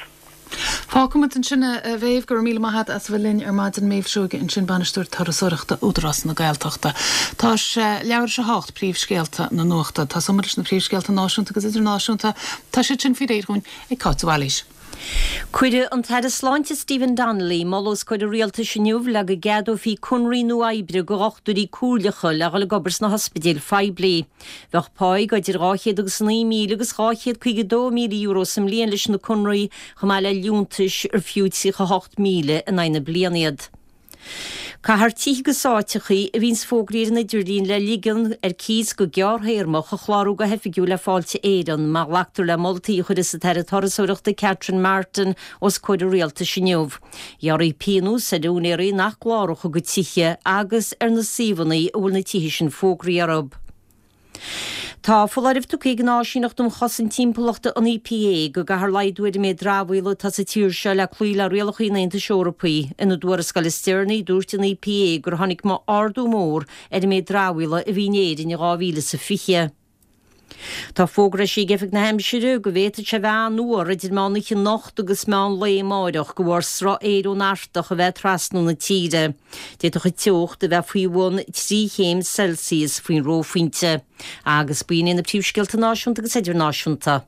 Fágfaimid ansin a Mhéabh, go raibh míle maith agat as a bheith linn ar maidin, Méabh Seoige ansin, Bainisteoir Turasóireachta Údarás na Gaeltachta. Tá sé leathuair tar éis a hocht, príomhscéalta na nuachta. Tosóimid leis na príomhscéalta náisiúnta agus idirnáisiúnta. Tá siad sin faoi réir dhúinn ag Cáit de Bhailís. Cuirfidh an tAire Sláinte Stephen Donnelly moladh os comhair an Rialtais inniu le go gceadófaí conraí nua oibre do dhochtúirí comhairleacha le dhul ag obair sna hospidéil phoiblí. Bheadh páí idir dhá chéad agus a naoi míle agus dhá chéad caoga dó míle euro sa mbliain leis na conraí chomh maith le liúntais ar fiú tríocha hocht míle in aghaidh na bliana iad. Caithfear tithe agus áiteachaí a bhíonns fógraithe ar an idirlíon le ligean ar cíos go gearrthéarmach a chlárú go hoifigiúil le Fáilte Éireann, má ghlactar le moltaí a chuirfeas an tAire Turasóireachta Catherine Martin os comhair an Rialtais inniu. Ghearrfaí pionós ar úinéirí nach gcláródh a gcuid tithe agus ar na suíomhanna a bhfuil na tithe sin fógraithe orthu. Tá foláireamh tugtha ag an Áisíneacht um Chosaint Timpeallachta, an EPA, go gcaithfear laghdú ar an méid dramhaíola atá sa tír seo le cloí le rialacha an Aontais Eorpaigh. Ina dtuarascáil is deireanaí, dúirt an EPA gur tháinig ardú mór ar an méid dramhaíola a bhí in Éirinn in dhá mhíle is a fiche. Tá fógra eisithe ag Oifig na hAimsire go bhféadfadh sé bheith an-fhuar idir meán oíche anocht agus meán lae amáireach de bharr sruth aeir ón Artach a bheith ag trasnú na tíre. D'fhéadfadh an teocht a bheith faoi bhun trí chéim Celsius faoin reophointe. Agus b'in iad na príomhscéalta náisiúnta agus idirnáisiúnta.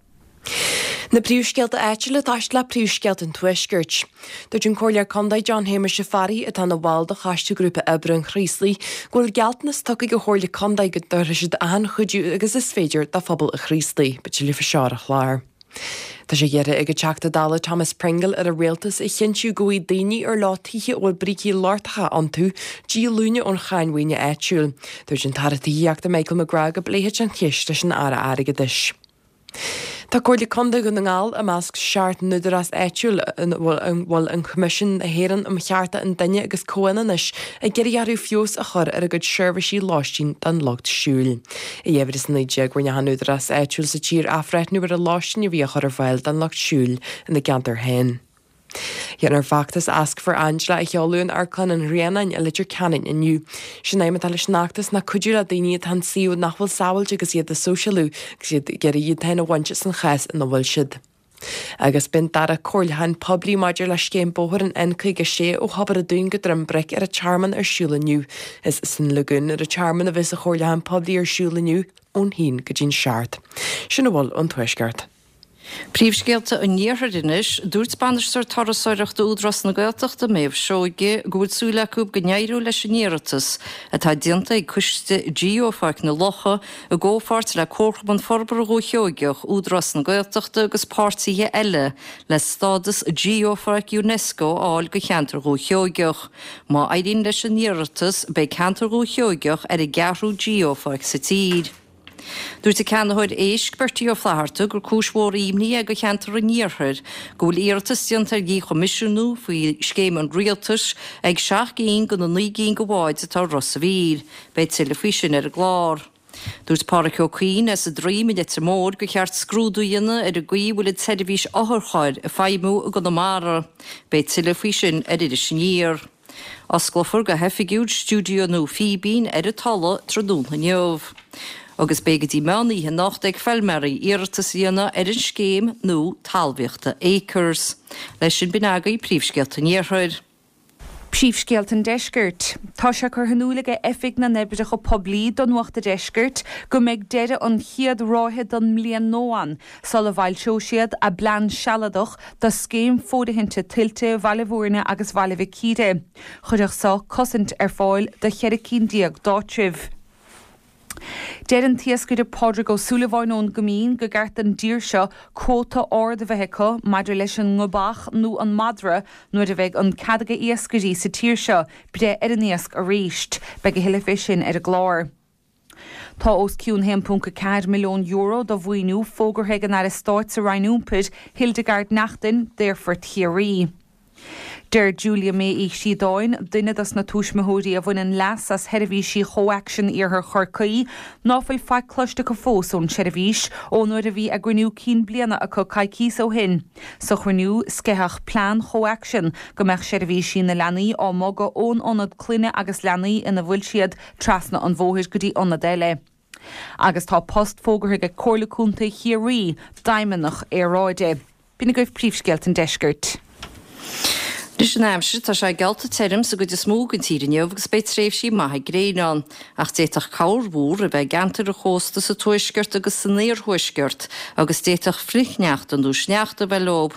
Na príomhscéalta áitiúla ag toiseacht le príomhscéalta an Tuaiscirt. Dúirt an Comhairleoir Contae John Shéamuis Ó Fearraigh, atá ina bhall de Choiste Grúpa Oibre an Chraoslaigh, go bhfuil gealltanas tugtha ag an Chomhairle Contae go dtabharfaidh siad achan chuidiú agus is féidir do phobal an Chraoslaigh. Beidh tuilleadh faoi seo ar an chlár. Tá sé iarrtha ag an Teachta Dála Thomas Pringle ar an Rialtas a chinntiú go bhfaighidh daoine ar leo tithe a bhfuil brící lochtacha iontu díolúine ón cháin mhaoine áitiúil. Dúirt an tAire Tithíochta Michael McGrath go bpléifidh sé an cheist leis an Aire Airgeadais. Tá Comhairle Contae Dhún na nGall i measc seacht n-údarás áitiúil ina bhfuil an Coimisiún na hÉireann um Chearta an Duine agus Comhionannais ag iarraidh orthu feabhas a chur ar a gcuid seirbhísí lóistín don lucht siúil. I dhá mhíle is a naoi déag rinne achan údarás áitiúil sa tír athbhreithniú ar an lóistín a bhí á chur ar fáil don lucht siúil ina gceantar féin. Déanfar feachtas Ask for Angela a sheoladh in Amharclann an Ghrianáin i Leitir Ceanainn inniu. Sé'n aidhm atá leis an fheachtas ná cuidiú le daoine atá in suíomh nach bhfuil sábháilte agus iad ag sóisialú agus iad ag iarraidh iad féin a bhaint as an chás ina bhfuil siad. Agus beidh an dara comhairliúchán poiblí maidir le scéim bóthair an N caoga a sé ó Thobar an Dúin go Droim Bric ar an Tearmann ar siúl inniu. Is san Lagún ar an Tearmann a bheas an chomhairliúchán poiblí ar siúl inniu ón haon go dtí'n seacht. Sin a bhfuil ón Tuaisceart. Príomhscéalta an Iarthair anois. Dúirt Bainisteoir Turasóireachta Údarás na Gaeltachta, Méabh Seoige, go bhfuil súil acu go n-éireoidh leis an iarratas atá déanta ag Coiste Geopháirc na Locha i gcomhpháirt le Comharchumann Forbartha Dhúiche Sheoigeach, Údarás na Gaeltachta agus páirtithe eile le stádas Geopháirc Unesco a fháil do cheantar Dhúiche Sheoigeach. Má éiríonn leis an iarratas, beidh ceantar Dhúiche Sheoigeach ar an gceathrú Geopháirc sa tír. Dúirt an ceannaitheoir éisc, Bertie Ó Flatharta, gur cúis mhór imní é do cheantar an Iarthair go bhfuil iarratas déanta ar dhíchoimisiúnú faoi scéim an Rialtais ag seacht gcinn de na naoi gcinn de bháid atá i Ros a' Mhíl. Beidh tuilleadh faoi sin ar an gclár. Dúirt Páraic Ó Cuinn as an Droim i Leitir Móir gur cheart scrúdú a dhéanamh ar an gcaoi a bhfuil an tseirbhís otharchairr ag feidhmiú i gConamara. Beidh tuilleadh faoi sin ar Iris Aniar. Osclófar go hoifigiúil stiúideo nua Fíbín ar an Tulaigh tráthnóna inniu. Agus beidh go dtí meán oíche anocht ag feilméaraí iarratas a dhéanamh ar an scéim nua talmhaíochta Acres. Leis sin b'in agaibh príomhscéalta an Iarthair. Príomhscéalta an Deiscirt. Tá sé curtha in iúl aige Oifig na nOibreacha Poiblí do Nuacht a' Deiscirt go mbeidh deireadh an chéad ráithe don mbliain nua ann sula bhfoilseoidh siad a bplean sealadach do scéim fóirithinte tuilte Bhaile Bhúirne agus Bhaile Mhic Íre. Chuirfeadh seo cosaint ar fáil do cheithre cinn déag d'áitribh. Deir an t-iascaire Pádraig Ó Súilleabháin ón gCoimín go gceart don dtír seo cuóta ard a bheith acu maidir leis an ngobach nó an madra nuair a bheidh an cead ag iascairí sa tír seo breith ar an iasc arís. Beidh a thuilleadh fé sin ar an gclár. Tá os cionn haon ponc a ceathair milliún euro de mhaoiniú fógartha ag an Aire Stáit sa Roinn Iompair, Hildegarde Naughton, d'Aerfort Chiarraí. Deir Julia May Uí Chríodáin, duine dos na tuismitheoirí a bhaineann leas as sheirbhísí Chomhaction Iarthar Chorcaí, ná fuil faic cloiste acu fós ón tseirbhís ón uair a bhí a gcruinniú cinn bliana acu coicíos ó shin. Sa chruinniú, sceitheadh plean Chomhaction go mbeadh seirbhísí na leanaí á mbogadh ón ionad clainne agus leanaí ina bhfuil siad trasna an bhóthair go dtí ionad eile. Agus tá post fógartha ag Comhairle Contae Chiarraí d'Fheidhmeannach Aeráide. B'in agaibh príomhscéalta an deiscirt. Anois an aimsir, tá sé geallta tirim sa gcuid is mó den tír inniu agus beidh tréimhsí maithe gréine ann, ach d'fhéadfadh corrmhúr a bheith i gceantair an chósta sa tuaisceart agus san iarthuaisceart agus d'fhéadfadh flichshneachta nó sneachta a bheith leo.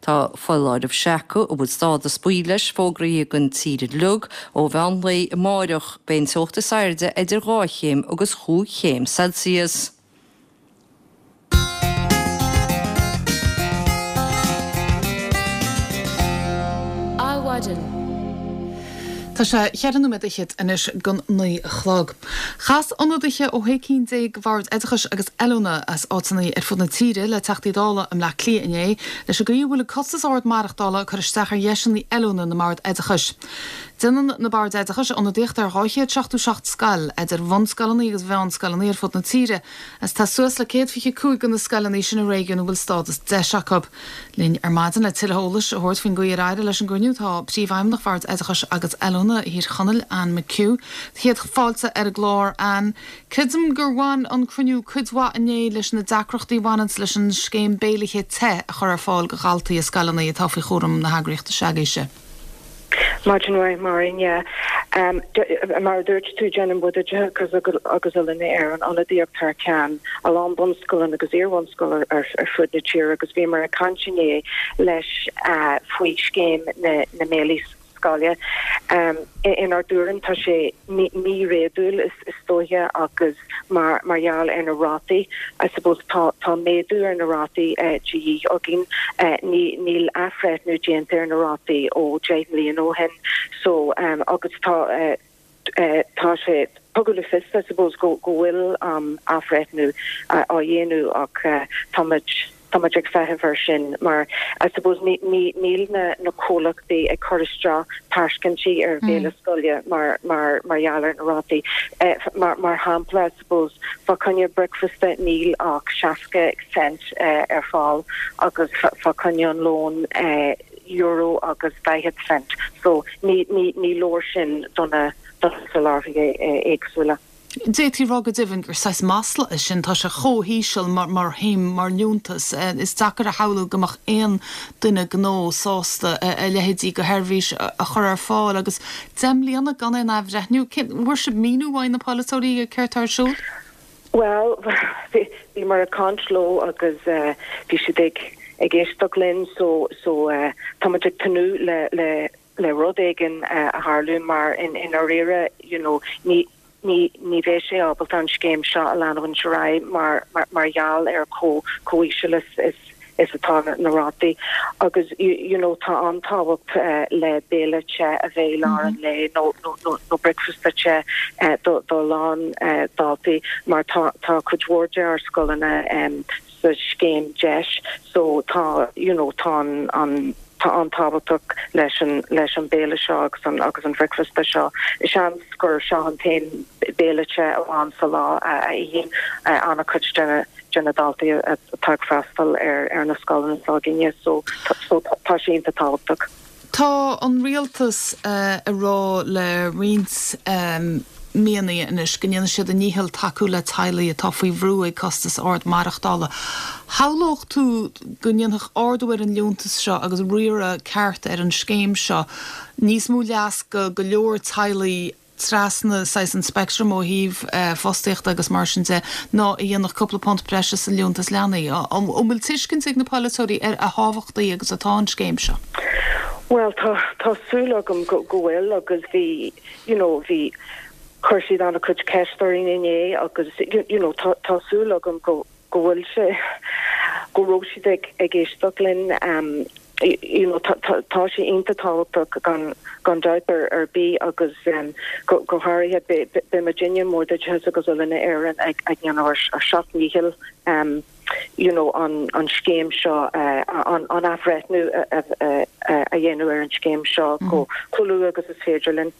Tá foláireamh seaca, a bhfuil stádas buí leis, fógraithe don tír uilig ó mheán lae amáireach. Beidh an teocht is airde idir dhá chéim agus chúig chéim Celsius. Adhmhaidin. Tá sé cheithre nóiméad fhichead anois don naoi a chlog. Chas ionadaithe ó shé cinn déag de bhoird oideachais agus oiliúna as áiteanna ar fud na tíre le Teachtaí Dála i mBleá Cliath inné leis an gcaoi a bhfuil an costas ard maireachtála ag cur isteach ar dheiseanna oiliúna na mbord oideachais. Déanann na boird oideachais ionadaíocht ar dhá chéad seachtó seacht scoil, idir bhunscoileanna agus mheánscoileanna ar fud na tíre, agus tá suas le céad fiche cúig de na scoileanna sin i réigiún a bhfuil stádas deis acu. Linn ar maidin le tuilleadh eolais a thabhairt faoin gcaoi ar éirigh leis an gcruinniú tá Príomhfheidhmeannach Bhord Oideachais agus Oiliúna Thír Chonaill, Anne McHugh. Céad fáilte ar an gclár, Anne. Creidim gur bhain an cruinniú cuid mhaith inné leis na deacrachtaí a bhaineanns leis an scéim béilithe te a chur ar fáil do dhaltaí i scoileanna atá faoi chúram na heagraíochta s'agaibhse. Maidin mhaith, Máirín, yeah. Mar a dúirt tú, déanann Bord Oideachais agus Oiliúna Éireann ionadaíocht thar ceann a lán bunscoileanna agus iarbhunscoileanna ar fud na tíre agus bhíomar ag caint inné leis faoi scéim na mbéilí scoile. Inár dtuairim tá sé míréadúil is dóiche agus mar mar gheall ar na rátaí, I suppose tá tá méadú ar na rátaí de dhíth againn. Ní níl athbhreithniú déanta ar na rátaí ó deich mbliana ó shin so agus tá tá sé tugadh le fios I suppose go go bhfuil athbhreithniú á dhéanamh ach táimid Tá muid ag feitheamh air sin mar I suppose ní ní níl na na comhlachtaí ag cur isteach tairiscintí ar bhéile scoile mar mar mar gheall ar na rátaí. Mar mar shampla I suppose fá choinne bricfeasta níl ach seasca cent ar fáil agus fá choinne an lón euro agus daichead cent. So ní ní ní leor sin do na do na soláthraithe éagsúla. D'fhéadfaí a rá go deimhin gur saghas masla é sin, tá sé chomh híseal mar mar shuim, mar liúntas. Is deacair a shamhlú go mbeadh aon duine gnó sásta a leithéidí de sheirbhís a chur ar fáil agus deich mbliana gan aon athbhreithniú. Cén, bhfuair sibh míniú uaidh na polaiteoirí ar céard atá ar siúl? Bhuel, bhíomar ag caint leo agus bhí siad ag ag éisteacht linn so so táimid ag tnúth le le le rud éigin a tharlú mar i ndáiríre you know ní ní ní bheidh sé ábalta an scéim seo a leanúint ar aghaidh mar mar gheall ar chomh chomh íseal is is is atá na rátaí agus you know tá an-tábhacht le béile te a bheith i lár an lae nó nó nó nó bricfeasta te do do a lán daltaí mar tá tá cuid mhór de ár scoileanna sa scéim deis so tá you know tá an an tá an-tábhachtach leis an leis an béile seo agus an agus an bhricfeasta seo. Seans gur seo an t-aon béile te amháin sa lá a a itheann an-chuid de na de na daltaí atá ag freastal ar ar na scoileanna s'againne so so tá sé iontach tábhachtach. Tá an rialtas ag rá le roinnt míonna anois go ndéanfaidh siad a ndícheall tacú le teaghlaigh atá faoi bhrú ag costas ard maireachtála. Shamhlódh tú go ndéanfadh ardú ar an liúntas seo agus riaradh ceart ar an scéim seo níos mó leas go go leor teaghlaigh trasna saghas an speictrim ó thaobh fostaíochta agus mar sin de ná a dhéanfadh cúpla punt breise sa liúntas leanaí. An bhfuil tuiscint ag na polaiteoirí ar a thábhachtaí agus atá an scéim seo? Bhuel, tá tá súil agam go go bhfuil agus bhí you know bhí chuir siad an-chuid ceist orainn inné agus you know tá tá súil agam go go bhfuil sé go raibh siad ag ag éisteacht linn um you know tá tá tá sé iontach tábhachtach gan gan dabht ar ar bith agus um go go háirithe beidh beidh muidinne i mBord Oideachais agus Oiliúna Éireann ag ag déanamh ár ár seacht ndícheall um you know an an scéim seo uh an an athbhreithniú a a a dhéanamh ar an scéim seo go chomh luath agus is féidir linn.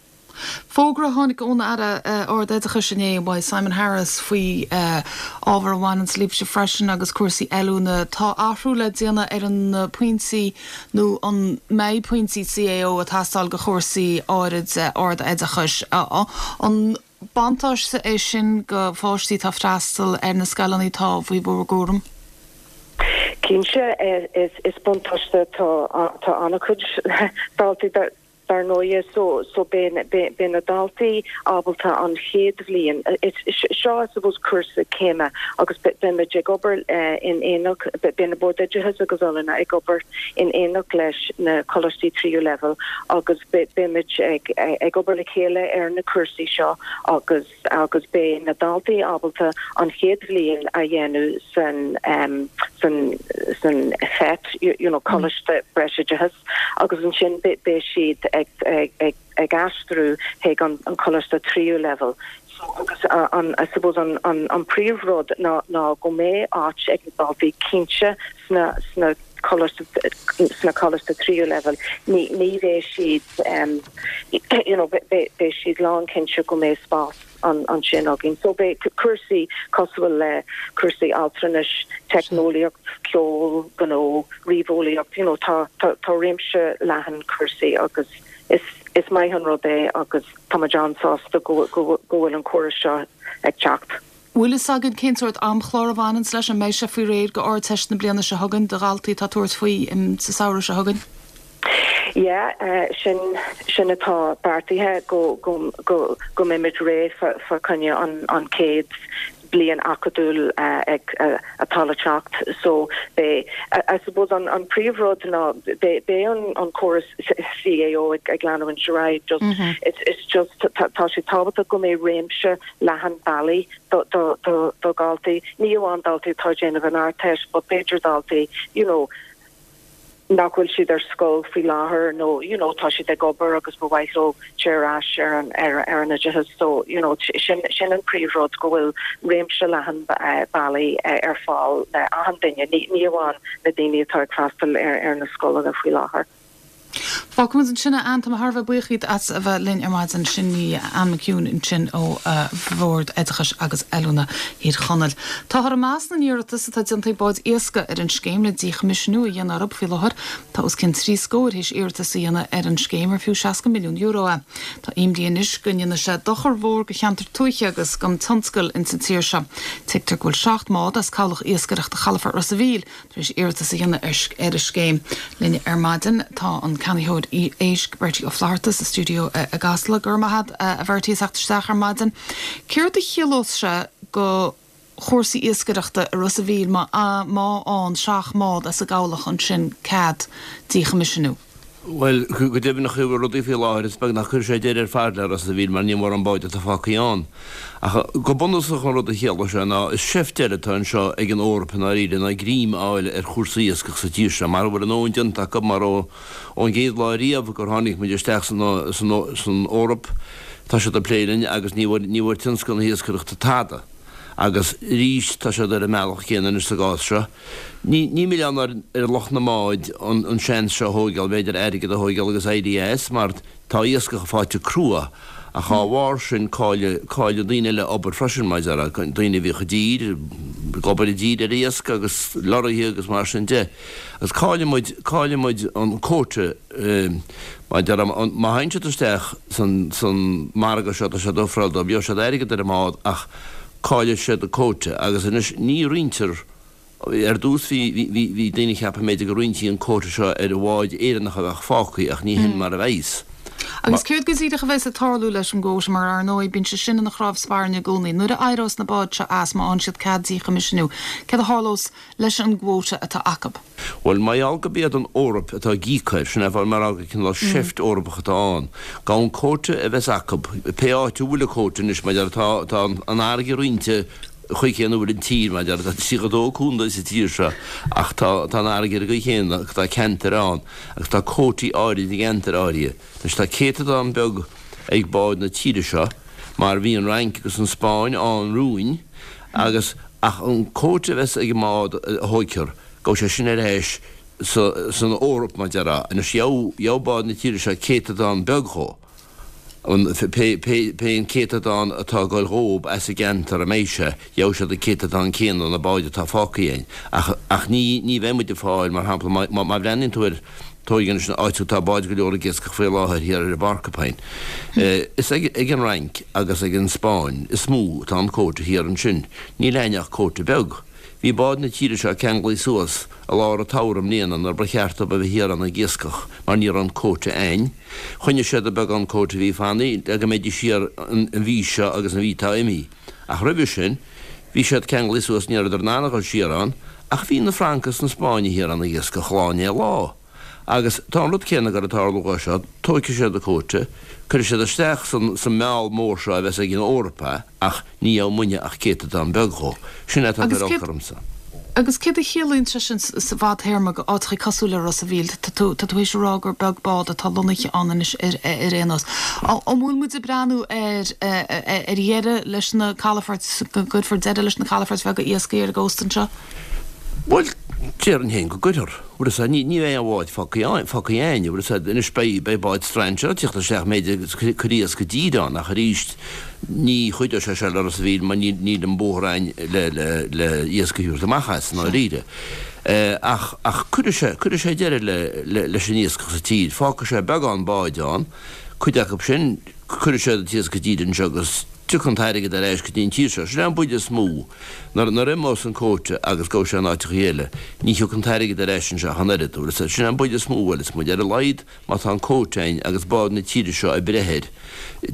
Fógra a tháinig ón Aire Ard-Oideachais inné uaidh Simon Harris faoi ábhar a bhaineanns libhse freisin agus cúrsaí oiliúna. Tá athrú le déanamh ar na pointí nó an mbeidh pointí CAO ag teastáil do chúrsaí áirid ard-oideachais. An buntáiste é sin do pháistí atá ag freastal ar na scoileanna atá faoi bhur gcúram? Cinnte, is buntáiste tá tá an-chuid daltaí dar ndóigh so so beidh beidh na daltaí ábalta an chéad bhliain seo I suppose cúrsa céime agus beidh muid ag obair in éineacht beidh na Boird Oideachais agus Oiliúna ag obair in éineacht leis na coláistí tríú leibhéal agus beidh muid ag ag obair le chéile ar na cúrsaí seo agus agus beidh na daltaí ábalta an chéad bhliain a dhéanamh san san san FET you know coláiste breisoideachais agus ansin beidh siad ag ag ag ag aistriú chuig an an coláiste tríú leibhéal. So agus an I suppose an an an príomhrud ná ná go mbeidh áit ag na daltaí cinnte sna sna coláiste sna coláiste tríú leibhéal. Ní ní bheidh siad um you know beidh beidh siad lánchinnte go mbeidh spás an ansin againn. So beidh cúrsaí cosúil le cúrsaí altranais, teicneolaíocht, ceol, gnó, ríomheolaíocht, you know tá tá tá réimse leathan cúrsaí agus is is maith an rud é agus tá muid an-sásta go go go bhfuil an córas seo ag teacht. Bhfuil fhios againn cén sórt amchlár a bhaineanns leis, an mbeidh sé faoi réir go Ardteist na bliana seo chugainn do dhaltaí atá ag tabhairt faoi sa samhradh seo chugainn? Yeah, sin sin atá beartaithe go go go go mbeimid réidh fa fa choinne an an chéad bliain acadúil ag atá le teacht so beidh I suppose an an príomhrud ná beidh beidh an an córas CAO ag ag leanúint ar aghaidh just it's it's just tá sé tábhachtach go mbeidh réimse leathan bealaí do do do do dhaltaí ní amháin daltaí atá ag déanamh an Ardteist but b'fhéidir daltaí you know nach bhfuil siad ar scoil faoi láthair nó you know tá siad ag obair agus ba mhaith leo téir ar ais ar an ar ar an oideachas so you know sin sin an príomhrud go bhfuil réimse leathan bealaí ar fáil le achan duine ní ní amháin na daoine atá ag freastal ar ar na scoileanna faoi láthair. Fágfaimid ansin é, Ann, tá mé thar a bheith buíoch díot as a bheith linn ar maidin. Sin í Ann McHugh ansin ó Bhord Oideachais agus Oiliúna Thír Chonaill. Táthar ag meas na n-iarratas atá déanta ag báid iascaigh ar an scéim le díchoimisiúnú a dhéanamh orthu faoi láthair. Tá os cionn trí scór théis iarratas a dhéanamh ar an scéim ar fiú seasca milliún euro é. Tá imní anois go ndéanfaidh sé dochar mhór go cheantar tuaithe agus don tionscal ins an tír seo. Tuigtear go bhfuil seacht mbád as cabhlach iascaireachta chalafort Ros a' Mhíl tar éis iarratas a dhéanamh ar ar an scéim. Linn ar maidin tá an ceannaitheoir éisc Bertie Ó Flatharta sa stiúideo i gCasla. Go raibh maith agat a Bhertie as theacht isteach ar maidin. Céard a chiallós sé go chúrsaí iascaireachta i Ros a' Mhíl má má fhaigheann seacht mbád as an gcabhlach ansin cead díchoimisiúnú? Bhuel, go deimhin an chaoi a bhfuil rudaí faoi láthair, is beag nach gcuirfidh sé deireadh ar fad le Ros a' Mhíl mar níl mórán báid atá fágtha ann. Ach go bunúsach an rud a chiallóidh sé ná is seift eile atá anseo ag an Eoraip i ndáiríre ná greim a fháil ar chúrsaí iascaigh sa tír seo mar a bhfuil a ndóthain déanta acu mar ó ón gcéad lá riamh gur tháinig muid isteach san san Eoraip tá siad ag plé linn agus ní bhfuair ní bhfuair tionscal na hiascaireachta tada. Agus arís tá siad ar an mbealach céanna anois sa gcás seo. Ní ní milleán ar ar lucht na mbád an an seans seo a thóigeáil, b'fhéidir airgead a thóigeáil agus éirí as mar tá iascach faighte crua Ach dá bharr sin cailleadh cailleadh daoine eile obair freisin mar a déarfá, daoine a bhíodh i dtír, ag obair i dtír ar iasc agus lorraithe agus mar sin de. Agus caillfidh muid, caillfidh muid an quota mar a déarfá, má théann siad isteach san san margadh seo tá siad ag ofráil dóibh, gheobhaidh siad airgead ar an mbád ach caillfidh siad an quota agus anois ní roinntear Ar dtús bhí bhí daoine ag ceapadh b'fhéidir go roinntí an quota seo ar bháid Éireannacha a bheadh fágtha ach ní hin mar a bheas. Agus céard go díreach a bheas ag tarlú leis an gquota mar ar ndóigh bíonn sé sin ina chnámh spairne i gcónaí. Nuair a éireos na báid seo as, má fhaigheann siad cead díchoimisiúnú, céard a tharlós leis an gquota atá acu? Bhuel, mar gheall gurb iad an Eoraip atá ag íoc air, sin é fáth mar gur cineál seift Eorpach atá ann. Gabh an quota a bheas acu, pé áit a bhfuil an quota anois, mar tá tá an fharraige roinnte, chaoi chéanna a bhfuil an tír, mar a déarfá, tá tríocha dó contae sa tír seo ach tá tá an fharraige ar an gcaoi chéanna agus tá ceantair ann agus tá quótaí áirid i gceantair áirithe. Anois tá céatadán beag ag báid na tíre seo mar bhí an Fhrainc agus an Spáinn ann romhainn agus ach an quota a bheas ag an mbád a thóigtear, gabhfaidh sé sin ar ais sa san Eoraip mar a déarfá. Anois gheobhaidh gheobhaidh báid na tíre seo céatadán beag dhó. an pé pé an céatadán atá ag goil dhób as an gceantar a mbeidh sé, gheobhaidh siad an céatadán céanna na báid atá fágtha againn. Ach ach ní ní bheidh muid ag fáil, mar shampla, má má má bhreathnaíonn tú ar tóig anois an áit atá báid go leor ag iascach faoi láthair thiar ar an bPorcupine. Is ag ag an Fhrainc agus ag an Spáinn is mó atá an quota thiar ansin. Níl a'inn ach quota beag. Bhí báid na tíre seo ceanglaithe suas i lár an tsamhraidh i mbliana nuair ba cheart dóibh a bheith thiar ann ag iascach mar ní raibh an quota a'inn. Choinnigh siad an beagán quota a bhí fanaithe le go mbeidís thiar an mhí seo agus an mhí atá imithe. Ach roimhe sin bhí siad ceanglaithe suas ní rabhadar in ann a dhul siar ann ach bhí na Francaigh is na Spáinnigh thiar ann ag iascach lá i ndiaidh lá. Agus tá an rud céanna ag goil ag tarlú dhó seo, tóigfidh siad an quota, cuirfidh siad isteach san san meall mór seo a bheas ag an Eoraip é, ach ní gheobhaidh muidne ach céatadán beag dhó. Sin é atá ag Agus cur céard olc ormsa. Agus céard a chiallaíonn sé sin sa bhfadtéarma go áiteachaí cosúil le Ros a' Mhíl? Tá tú tá tú théis a rá gur beag bád atá lonnaithe ann anois ar ar aon nós. An bhfuil muid ag breathnú ar ar dheireadh leis na calafoirt, go gcuirfear deireadh leis na calafoirt bheaga iascaigh ar an gcósta anseo? Bhuel, déarfainn féin go gcuirfear. Bhfuil fhios a'd, ní, ní bheidh aon bhád fágtha ann, fágtha a'inn, bhfuil fhios a'd, anois beidh, beidh báid strainséara ag tíocht isteach b'fhéidir agus ag cur iasc i dtír ann ach arís ní chuideoidh sé seo le Ros a' Mhíl mar níl, níl an bóthar a'inn le, le, le iasc a thabhairt amach as i ndáiríre. Ach, ach cuirfidh sé, cuirfidh sé deireadh le, le, leis an iascach sa tír. Fágfaidh sé beagán báid ann, cuid acu sin, cuirfidh siad an t-iasc i dtír anseo agus, Tiocfaidh an t-airgead ar ais go dtí an tír seo. Sin é an buille is mó. Nuair a imeos an quota agus gabhfaidh sé in áiteachaí eile, ní thiocfaidh an t-airgead ar ais anseo ach an oiread. Bhfuil fhios a'd. Sin é an buille is mó a bhuaileas muid. Ar a laghad, má tá an quota a'inn agus báid na tíre seo ag breith air,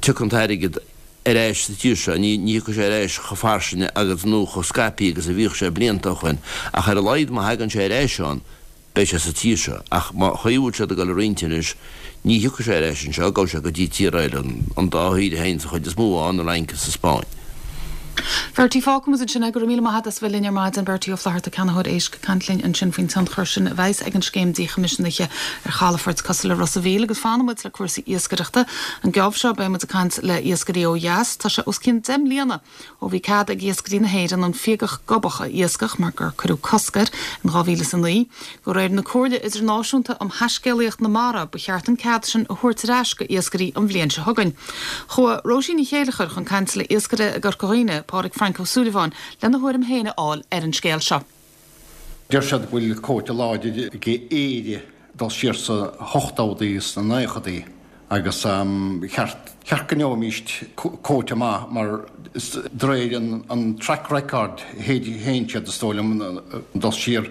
tiocfaidh an t-airgead ar ais sa tír seo. Ní ní thiocfaidh sé ar ais chomh fairsinge agus nó chomh scaipthe agus a bhíodh sé blianta ó shoin, ach ar a laghad má thagann sé ar ais ann, beidh sé sa tír seo, ach mar chaoi a bhfuil siad ag dul a roinnt anois, ní thiocfaidh sé ar ais anseo, gabhfaidh sé go dtí tír eile, an dá thír a théann sa chuid is mó ann, an Fhrainc agus an Spáinn. Bertie, Fágfaidh muid ansin é. Go raibh míle maith agat as bheith linn ar maidin. Bertie Ó Flatharta, ceannaitheoir éisc, ag caint linn ansin faoin tionchar sin a bheas ag an scéim díchoimisiúnaithe ar chalafoirt cosúil le Ros a' Mhíl. Agus fanfaidh muid le cúrsaí iascaireachta. An geábh seo beidh muid ag caint le iascairí ó dheas. Tá sé os cionn deich mbliana Ó bhí cead ag iascairí na hÉireann an fiagach gobach a iascach mar gur cuireadh cosc air in dhá mhíle is a naoi, de réir na Comhairle Idirnáisiúnta um Thaiscéalaíocht na Mara, ba cheart an cead sin a thabhairt ar ais go iascairí an bhliain seo chugainn. Chuaigh Róisín Ní Chéilleachair chun cainte le iascaire i gCorca Dhuibhne, Pádraig Frainc Ó Súilleabháin, lena thuairim féin a fháil ar an scéal seo. Deir siad go bhfuil cóta láidir ag Éire dul siar sna hochtódaí is sna naochadaí agus cheart cheart go ngeobhaimíst cóta maith mar de réir an track record théann siad is dóigh liom dul siar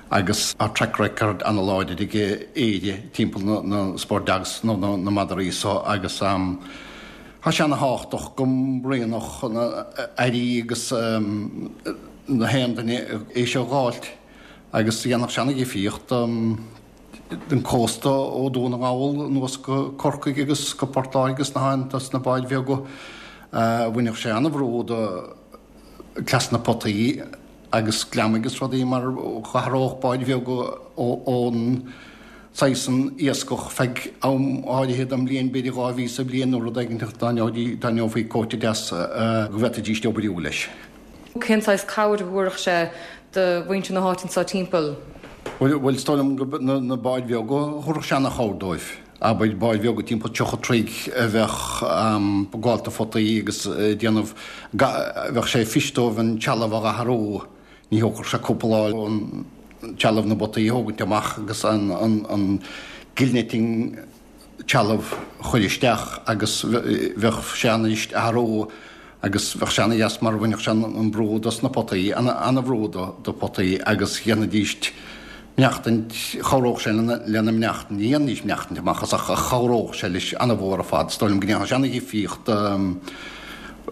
agus tá track record ana-láidir ag Éire timpeall na sport dogs nó na madraí so agus tá sé ana-thábhachtach go mbrionnódh na airí agus na haon duine é seo a dh'fháilt agus dhéanfadh sé ana-dhifríocht don cósta ó Dún na nGall anuas go Corcaigh agus go Port Láirge agus na háiteanna sna báid bheaga. Bhainfeadh sé ana-bhrú do cleas na potaí agus gliomaigh agus rudaí mar dh'athródh báid bheaga ón saghas san iascach feadh am áirithe den mbliain, b'fhéidir dhá mhí sa bhliain nó rud éigin dá ngeofaí cóta deas go bhféadfaidís oibriú leis. Cén saghas cabhair a thabharfadh sé do mhuintir na háite anseo timpeall? Bhuel, is dóigh liom go na báid bheaga, thabharfadh sé ana-chabhair dóibh. Abair báid bheaga timpeall tríocha troigh a bheadh ag gabháil do photaí agus ag déanamh, bheadh sé fuirist dóibh an trealamh a dh'athrú, ní thógfadh sé cúpla lá an trealamh na bpotaí a thógaint amach agus an gillnetting trealamh a chur isteach agus bheadh sé an-fhuirist athrú agus bheadh sé ana-dheas mar bhainfeadh sé an brú dos na potaí, ana-bhrú do potaí agus dhéanfaidíst mainneachtaint, chabhródh sé lena mainneachtain, ní dhéanfaidís mainneachtaint amach as ach chabhródh sé leis ana-mhór ar fad, is dóigh liom go ndéanfadh sé ana-dhifríocht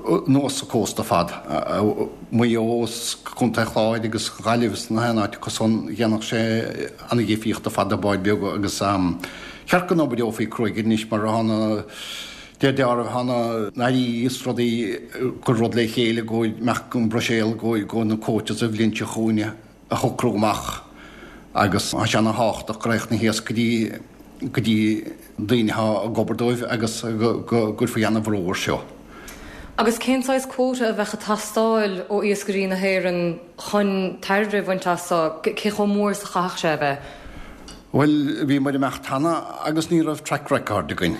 anuas an cósta ar fad, Maigh Eo is Contae Chláir agus Gaillimh is na haon áit acu san, dhéanfadh sé ana-dhifríocht ar fad do báid beaga agus cheart go n-oibreofaí cruaidh anois mar tá na deir deáramh tá na hairí is rudaí ag cur rud le chéile go mbeadh an Bruiséal go go na quotas an bhliain seo chugainn a shocrú amach agus tá sé ana-thábhachtach go raghadh na hiascairí go dtí daoine atá ag obair dóibh agus go gcuirfí ana-bhrú air seo. Agus cén saghas quota a bheadh ag teastáil ó iascairí na hÉireann chun tairbhe a bhaint as seo? Cé chomh mór is a chaithfeadh sé a bheith? Bhuel, bhíomar ag imeacht cheana agus ní raibh track record againn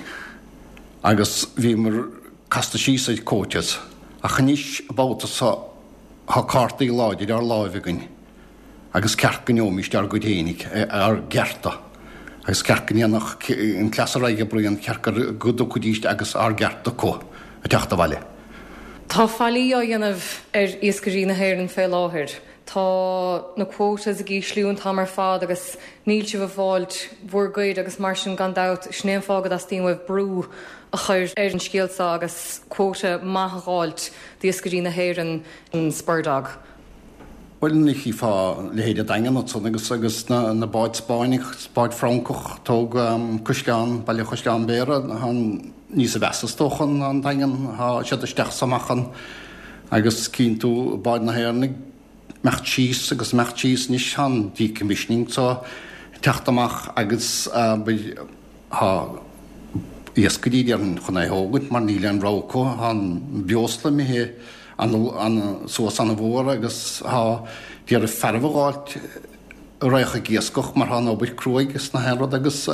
agus bhíomar casta síos ar quotas ach anois an babhta seo tá cártaí láidir ár láimh againn. Agus ceart go ngeobhaimíst ár gcuid fhéinig, ár gcearta. Agus ceart go ndéanfadh an cleas ar aghaidh a Brian, ceart go dtiocfaidíst agus ár gceart acu ag teacht abhaile. Tá faillí á dhéanamh ar iascairí na hÉireann fé láthair. Tá na quotas ag ísliú an t-am ar fad agus níl sibh ag fáilt bhur gcuid agus mar sin gan dabht sin é an fáth go dteastaíonn uaibh brú a chur ar an scéal seo agus quota maith a dh'fháilt d'iascairí na hÉireann an Spurdog. Bhuel, ní chífeá leithéid an Daingean ansan agus agus na na báid Spáinneach, báid Francach, tóg Caisleán, Baile Chaisleán Bhéarra, tá níosa mheasa is dócha ná an Daingean, tá siad isteach is amach ann agus cíonn tú báid na hÉireann ag imeacht síos agus imeacht síos anois, tá an decommissioning so ag teacht amach agus tá iascairí déarfainn chun é a thógaint mar níl aon rogha acu, tá an breosla imithe suas ana-mhór agus tá d'iarraidh fearaibh a dh'fháilt a raghadh ag iascach mar tá an obair cruaidh is na haon rud agus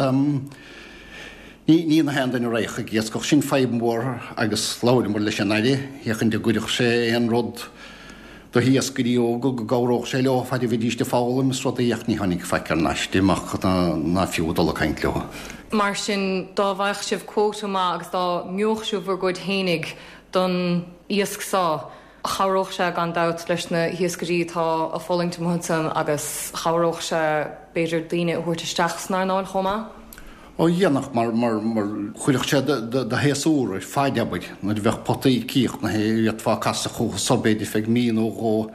ní ní na haon duine a raghadh ag iascach. Sin fadhb mhór agus labhramar leis an Aire féachaint an gcuirfeadh sé aon rud do hiascairí óga go gcabhródh sé leo fad a bhídíst ag foghlaim is rudaí ach ní tháinig faic thar n-ais amach ná fiú dul ag caint leo. Mar sin dá bhfaigheadh sibh quota maith agus dá ngeobhadh sibh bhur gcuid fhéinig don iasc seo. Chabhródh sé gan dabht leis na hiascairí atá ag fulaingt amuigh ansan agus chabhródh sé b'fhéidir daoine a thabhairt isteach san earnáil chomh maith. Ó dhéanfadh, mar, mar, mar chuirfeadh sé do, do shéasúr ar faid, abair, nuair a bheadh potaí críochnaithe, d'fhéadfá casadh chucu so b'fhéidir feadh mí nó dhó,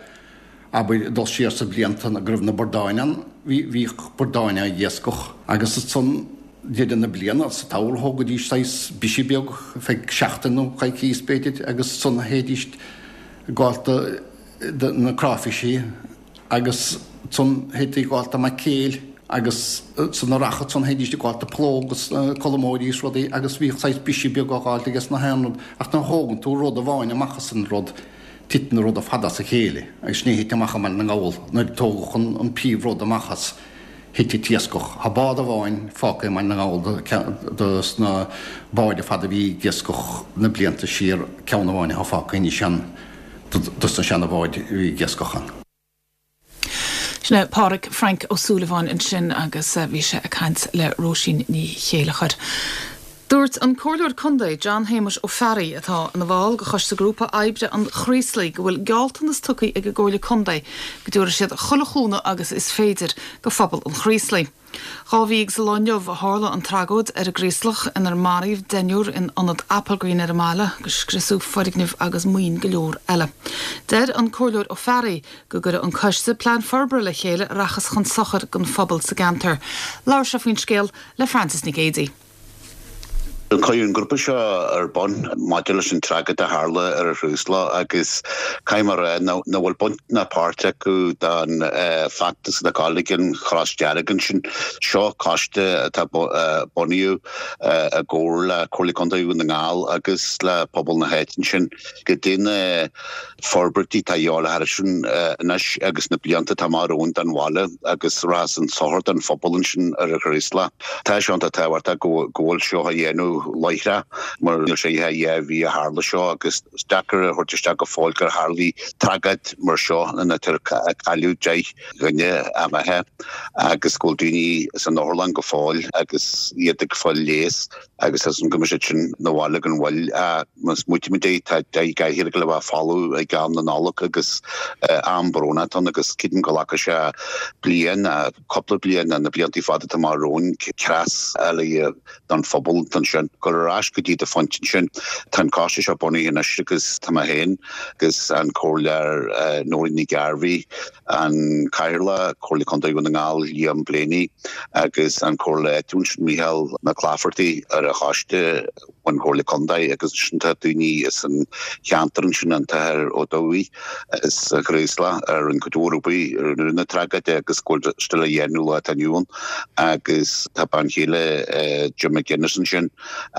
abair, dul siar sa blianta go raibh na bordáin ann, bhí, bhíodh bordáin á n-iascach agus ansan deireadh na bliana, sa tsamhradh, thógaidís saghas briseadh beag feadh seachtain nó coicíos b'fhéidir agus ansan théidís ag gabháilt do, do na cráifisí agus ansan théidí ag gabháilt do maicréil agus ansan a rachadh ansan théidís ag gabháilt do phlóg agus colmóirí is rudaí agus bhíodh saghas briseadh beag á dh'fháilt ages na haon rud ach nuair a thógann tú rud amháin amach as an rud, titeann an rud ar fad as a chéile agus sin é a thit amach i mBaile na nGall nuair a tógadh an príomh-rud amach as, thit an t-iascach. Tá bád amháin fágtha i mBaile na nGall dos na báid ar fad a bhí ag iascach na blianta siar, ceann amháin atá fágtha anois ann dos na seana-bháid a bhí ag iascach ann. Sin é Pádraig Frank Ó Súilleabháin ansin agus bhí sé ag caint le Róisín Ní Chéilleachair. Dúirt an Comhairleoir Contae John Shéamuis Ó Fearraigh, atá ina bhall de Choiste Grúpa Oibre an Chraoslaigh, go bhfuil gealltanas tugtha ag an gComhairle Contae go dtabharfaidh siad chuile chúnamh agus is féidir go phobal an Chraoslaigh. Dhá mhí agus lá inniu a tharla an tragóid ar an gCraoslach inar maraíodh deichniúr in ionad Applegreen ar an mbaile agus scriosadh foirgnimh agus maoin go leor eile. Deir an Comhairleoir Ó Fearraigh go gcuirfidh an coiste plean forbartha le chéile a rachas chun sochair don phobal sa gceantar. Labhair sé faoin scéal le Frances Nic Géadaigh. Cuireadh an grúpa seo ar bun maidir leis an tragóid a tharla ar an Chraoslach agus caithfidh mé a rá nach bhfuil baint ná páirt acu don feachtas atá ag gabháil ag an Chros Dearg ansin. Seo coiste atá bunaithe i gcomhar le Comhairle Contae Dhún na nGall agus le pobal na háite ansin goidé na forbairtí atá a dhíobháil thar sin anois agus na blianta atá amach romhainn don bhaile agus rachas chun sochair don phobal ansin ar an Chraoslach. Tá sé iontach tábhachtach go bhfuil seo á dhéanamh láithreach mar níl sé ach dhá mhí a tharla seo agus is deacair a thabhairt isteach go fóill gur tharlaigh tragóid mar seo ina cailleadh deich dhuine imithe agus go bhfuil daoine san otharlann go fóill agus iad ag fáil leigheas agus as an go mbeidh siad sin na bhaile gan mhoill. Má smaoitímid é tá deich gcathaoir ag le bheith folamh ag am na Nollag agus am brónach atá ann agus creidim go nglacfaidh sé bliain, cúpla bliain, na blianta fada atá amach romhainn creas eile don phobal ansin. Dul ar ais go dtí do phointe ansin, tá an coiste seo bunaithe anois agus tá mé féin agus an Comhairleoir Nóirín Ní Ghairbhí, an Cathaoirleach, Comhairle Contae Dhún na nGall Liam Blaney agus an Comhairleoir áitiúil ansin Mícheál Mac Laifeartaigh ar an choiste ón Chomhairle Contae agus ansin tá daoine as an cheantar ansin an tAthair Ó Dubhthaigh as an Chraoslach a rinne cuid mhór obair i rith na tragóide agus go bhfuil still á dhéanamh lá atá inniu ann agus tá bean chéile Jim McGuinness ansin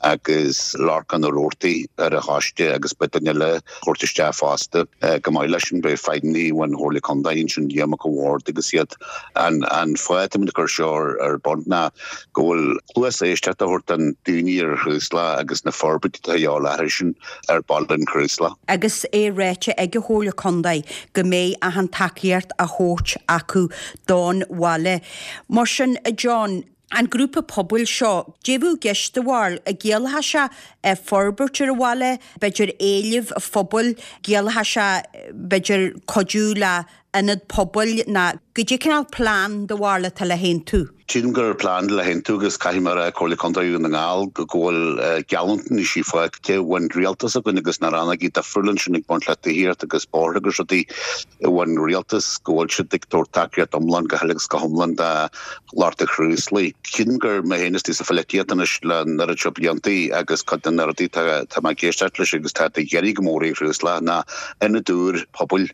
agus Lorcán Ó Roarty ar an choiste agus beidh duine eile á thabhairt isteach fosta. Chomh maith leis sin beidh feidhmeannaigh ón Chomhairle Contae ansin Liam Mac an Bhaird agus iad. An fáth atáimid ag cur seo ar bun ná go bhfuil cluas éisteachta a thabhairt don daoine ar an Chraoslach agus na forbairtí atá a dhíobháil orthu sin ar bhaile an Chraoslaigh. Agus é ráite ag an Chomhairle Contae go mbeidh achan tacaíocht á thabhairt acu don bhaile. Mar sin, a John, an grúpa pobail seo, goidé a bheadh i gceist do bharúil, an gciallódh sé forbairt ar an bhaile, b'fhéidir éilimh phobail, gciallódh sé b'fhéidir cuidiú le ionad pobail ná goidé cineál plean do bharúil atá le haontú? Sílim gur plean le haontú agus caithfidh mé a rá Comhairle Contae Dhún na nGall go bhfuil geallúintí faighte ón rialtas againn agus na rannógaí difriúla ansin ag baint le tithíocht agus bóithre agus rudaí ón rialtas go bhfuil siad ag tabhairt tacaíocht iomlán go huile agus go hiomlán do lucht an Chraoslaigh. Sílim gur mé féin istigh sa pholaitíocht anois le an oiread seo bliantaí agus cuid de na rudaí tá mé ag éisteacht leis agus tá ag éirí go mór ar an Chraoslach ná ionad úr pobail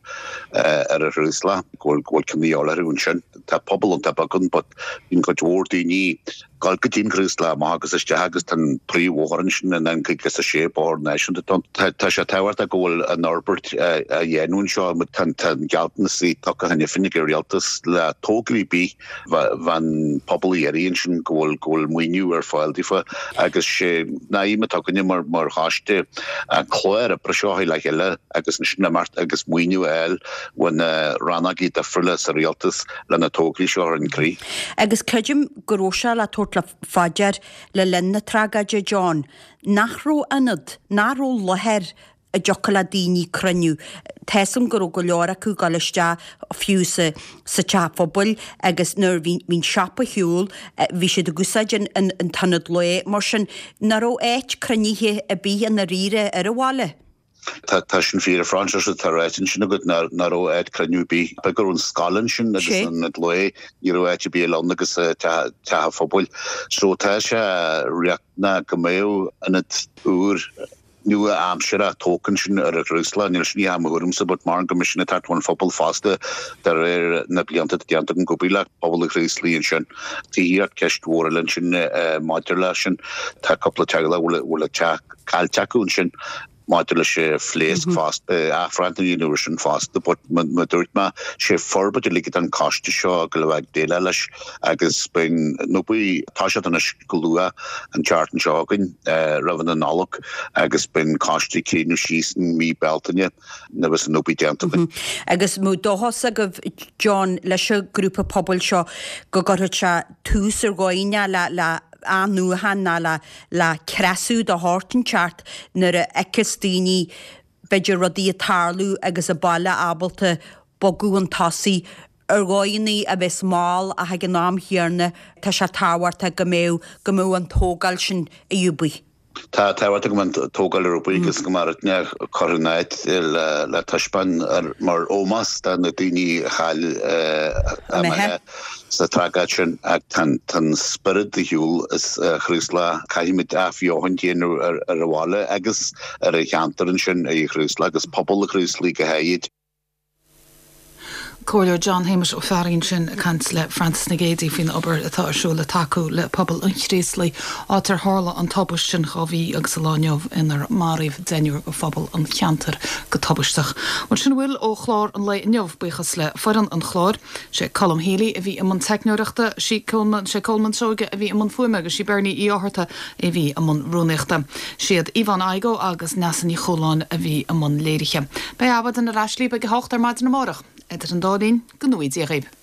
ar an Chraoslach go bhfuil ceann de dhíobháil orthu ansin. Tá pobal iontach beag ann but bíonn cuid mhór daoine ag gabháil go dtí an Chraoslach amach agus isteach agus tá an príomhbhóthar ansin an N caoga is a sé bóthar náisiúnta atá ann. Tá sé tábhachtach go bhfuil an fhorbairt á dhéanamh anseo. Tá an gealltanas tugtha cheana féin ag an rialtas le tograí ar bith bheadh an pobal ag iarraidh ansin go bhfuil go bhfuil maoiniú ar fáil daofa agus sé an aidhm atá againne mar mar choiste an clár oibre seo a chur le chéile agus ansin imeacht agus maoiniú a fháil ó na rannógaí difriúla sa rialtas le na tograí seo a chur chun críche. Agus creidim go raibh sé le tabhairt le fá dear le linn na tragóide, John, nach raibh ionad, nach raibh láthair a dtiocfadh le daoine cruinniú. Tá's a'm go raibh go leor acu ag dul isteach fiú sa sa teach phobail agus nuair a bhí bhí an siopa ar shiúl bhí siad ag úsáid an an an t-ionad lae mar sin nach raibh áit cruinnithe ar bith i ndáiríre ar an bhaile. Tá sin fíor a Phroinsias, tá ráite ansin agat nach raibh áit cruinniú ar bith. B'fhéidir go raibh an scoil ansin agus an ionad lae, ní raibh áit ar bith eile ann agus teach an phobail. So tá sé riachtanach go mbeadh ionad úr nua-aimseartha tógtha ansin ar an Chraoslach. Níl sin i mo thuairimse but mar go mbeidh sin ag teacht ón phobal fosta de réir na blianta atá déanta agam ag obair le pobal an Chraoslaigh ansin. Tithíocht, ceist mhór eile ansin maidir leis sin. Tá cúpla teaghlach a bhfuil a dteach caillte acu ansin. Maidir leis an phléasc fosta, athbhreithniú a dhéanamh ar sin fosta, but mar a dúirt mé, sé forbairt uilig atá an coiste seo go bheith ag déileáil leis agus beidh an obair ag toiseacht anois go luath an tseachtain seo chugainn roimh an Nollaig agus beidh an coiste ag cruinniú síos in mí Bealtaine nuair a bheas an obair déanta againn. Agus an mbeadh dóchas agaibh, John, leis an grúpa pobail seo go gcuirfeadh sé tús ar dhóigh le le athnuachan ná le le creasú de shórt inteacht nuair a fheiceas daoine b'fhéidir rudaí ag tarlú agus an baile ábalta bogadh chun tosaigh ar dhóigheanna a bheas mall ach ag an am chéanna tá sé tábhachtach go mbeadh go mbeadh an tógáil sin ar siúl. Tá tábhacht go mbeadh an tógáil ar bun agus go mbeadh rudaí curtha in áit le taispeáint mar ómós do na daoine a chaill a mbeatha sa tragóid sin ach tá an spiorad ar shiúl as Chraoslach. Caithfimid athbheochan a dhéanamh ar an bhaile agus ar an cheantar ansin i Chraoslach agus pobal an Chraoslaigh go háirid. Comhairleoir John Shéamuis Ó Fearraigh ansin ag caint le Frances Nic Géadaigh faoin obair atá ar siúl le tacú le pobal an Chraoslaigh, áit ar tharla an tubaist sin dhá mhí agus an lá inniu inar maraíodh deichniúr de phobal an cheantair go tubaisteach. Bhuel sin a bhfuil ó chlár an lae inniu, buíochas le foireann an chláir. Sé Colm Healy a bhí i mbun teicneoireachta, sí Colman, sé Colman Seoige a bhí i mbun fuaime agus sí Bernie Uí Fhátharta a bhí i mbun rúnaíochta. Siad Yvonne Igoe agus Neasa Ní Chualáin a bhí i mbun léirithe. Beidh Adhmhaidin ar ais libh ag a hocht ar maidin amárach. Idir an dá linn, go ngnóthaí Dia dhaoibh.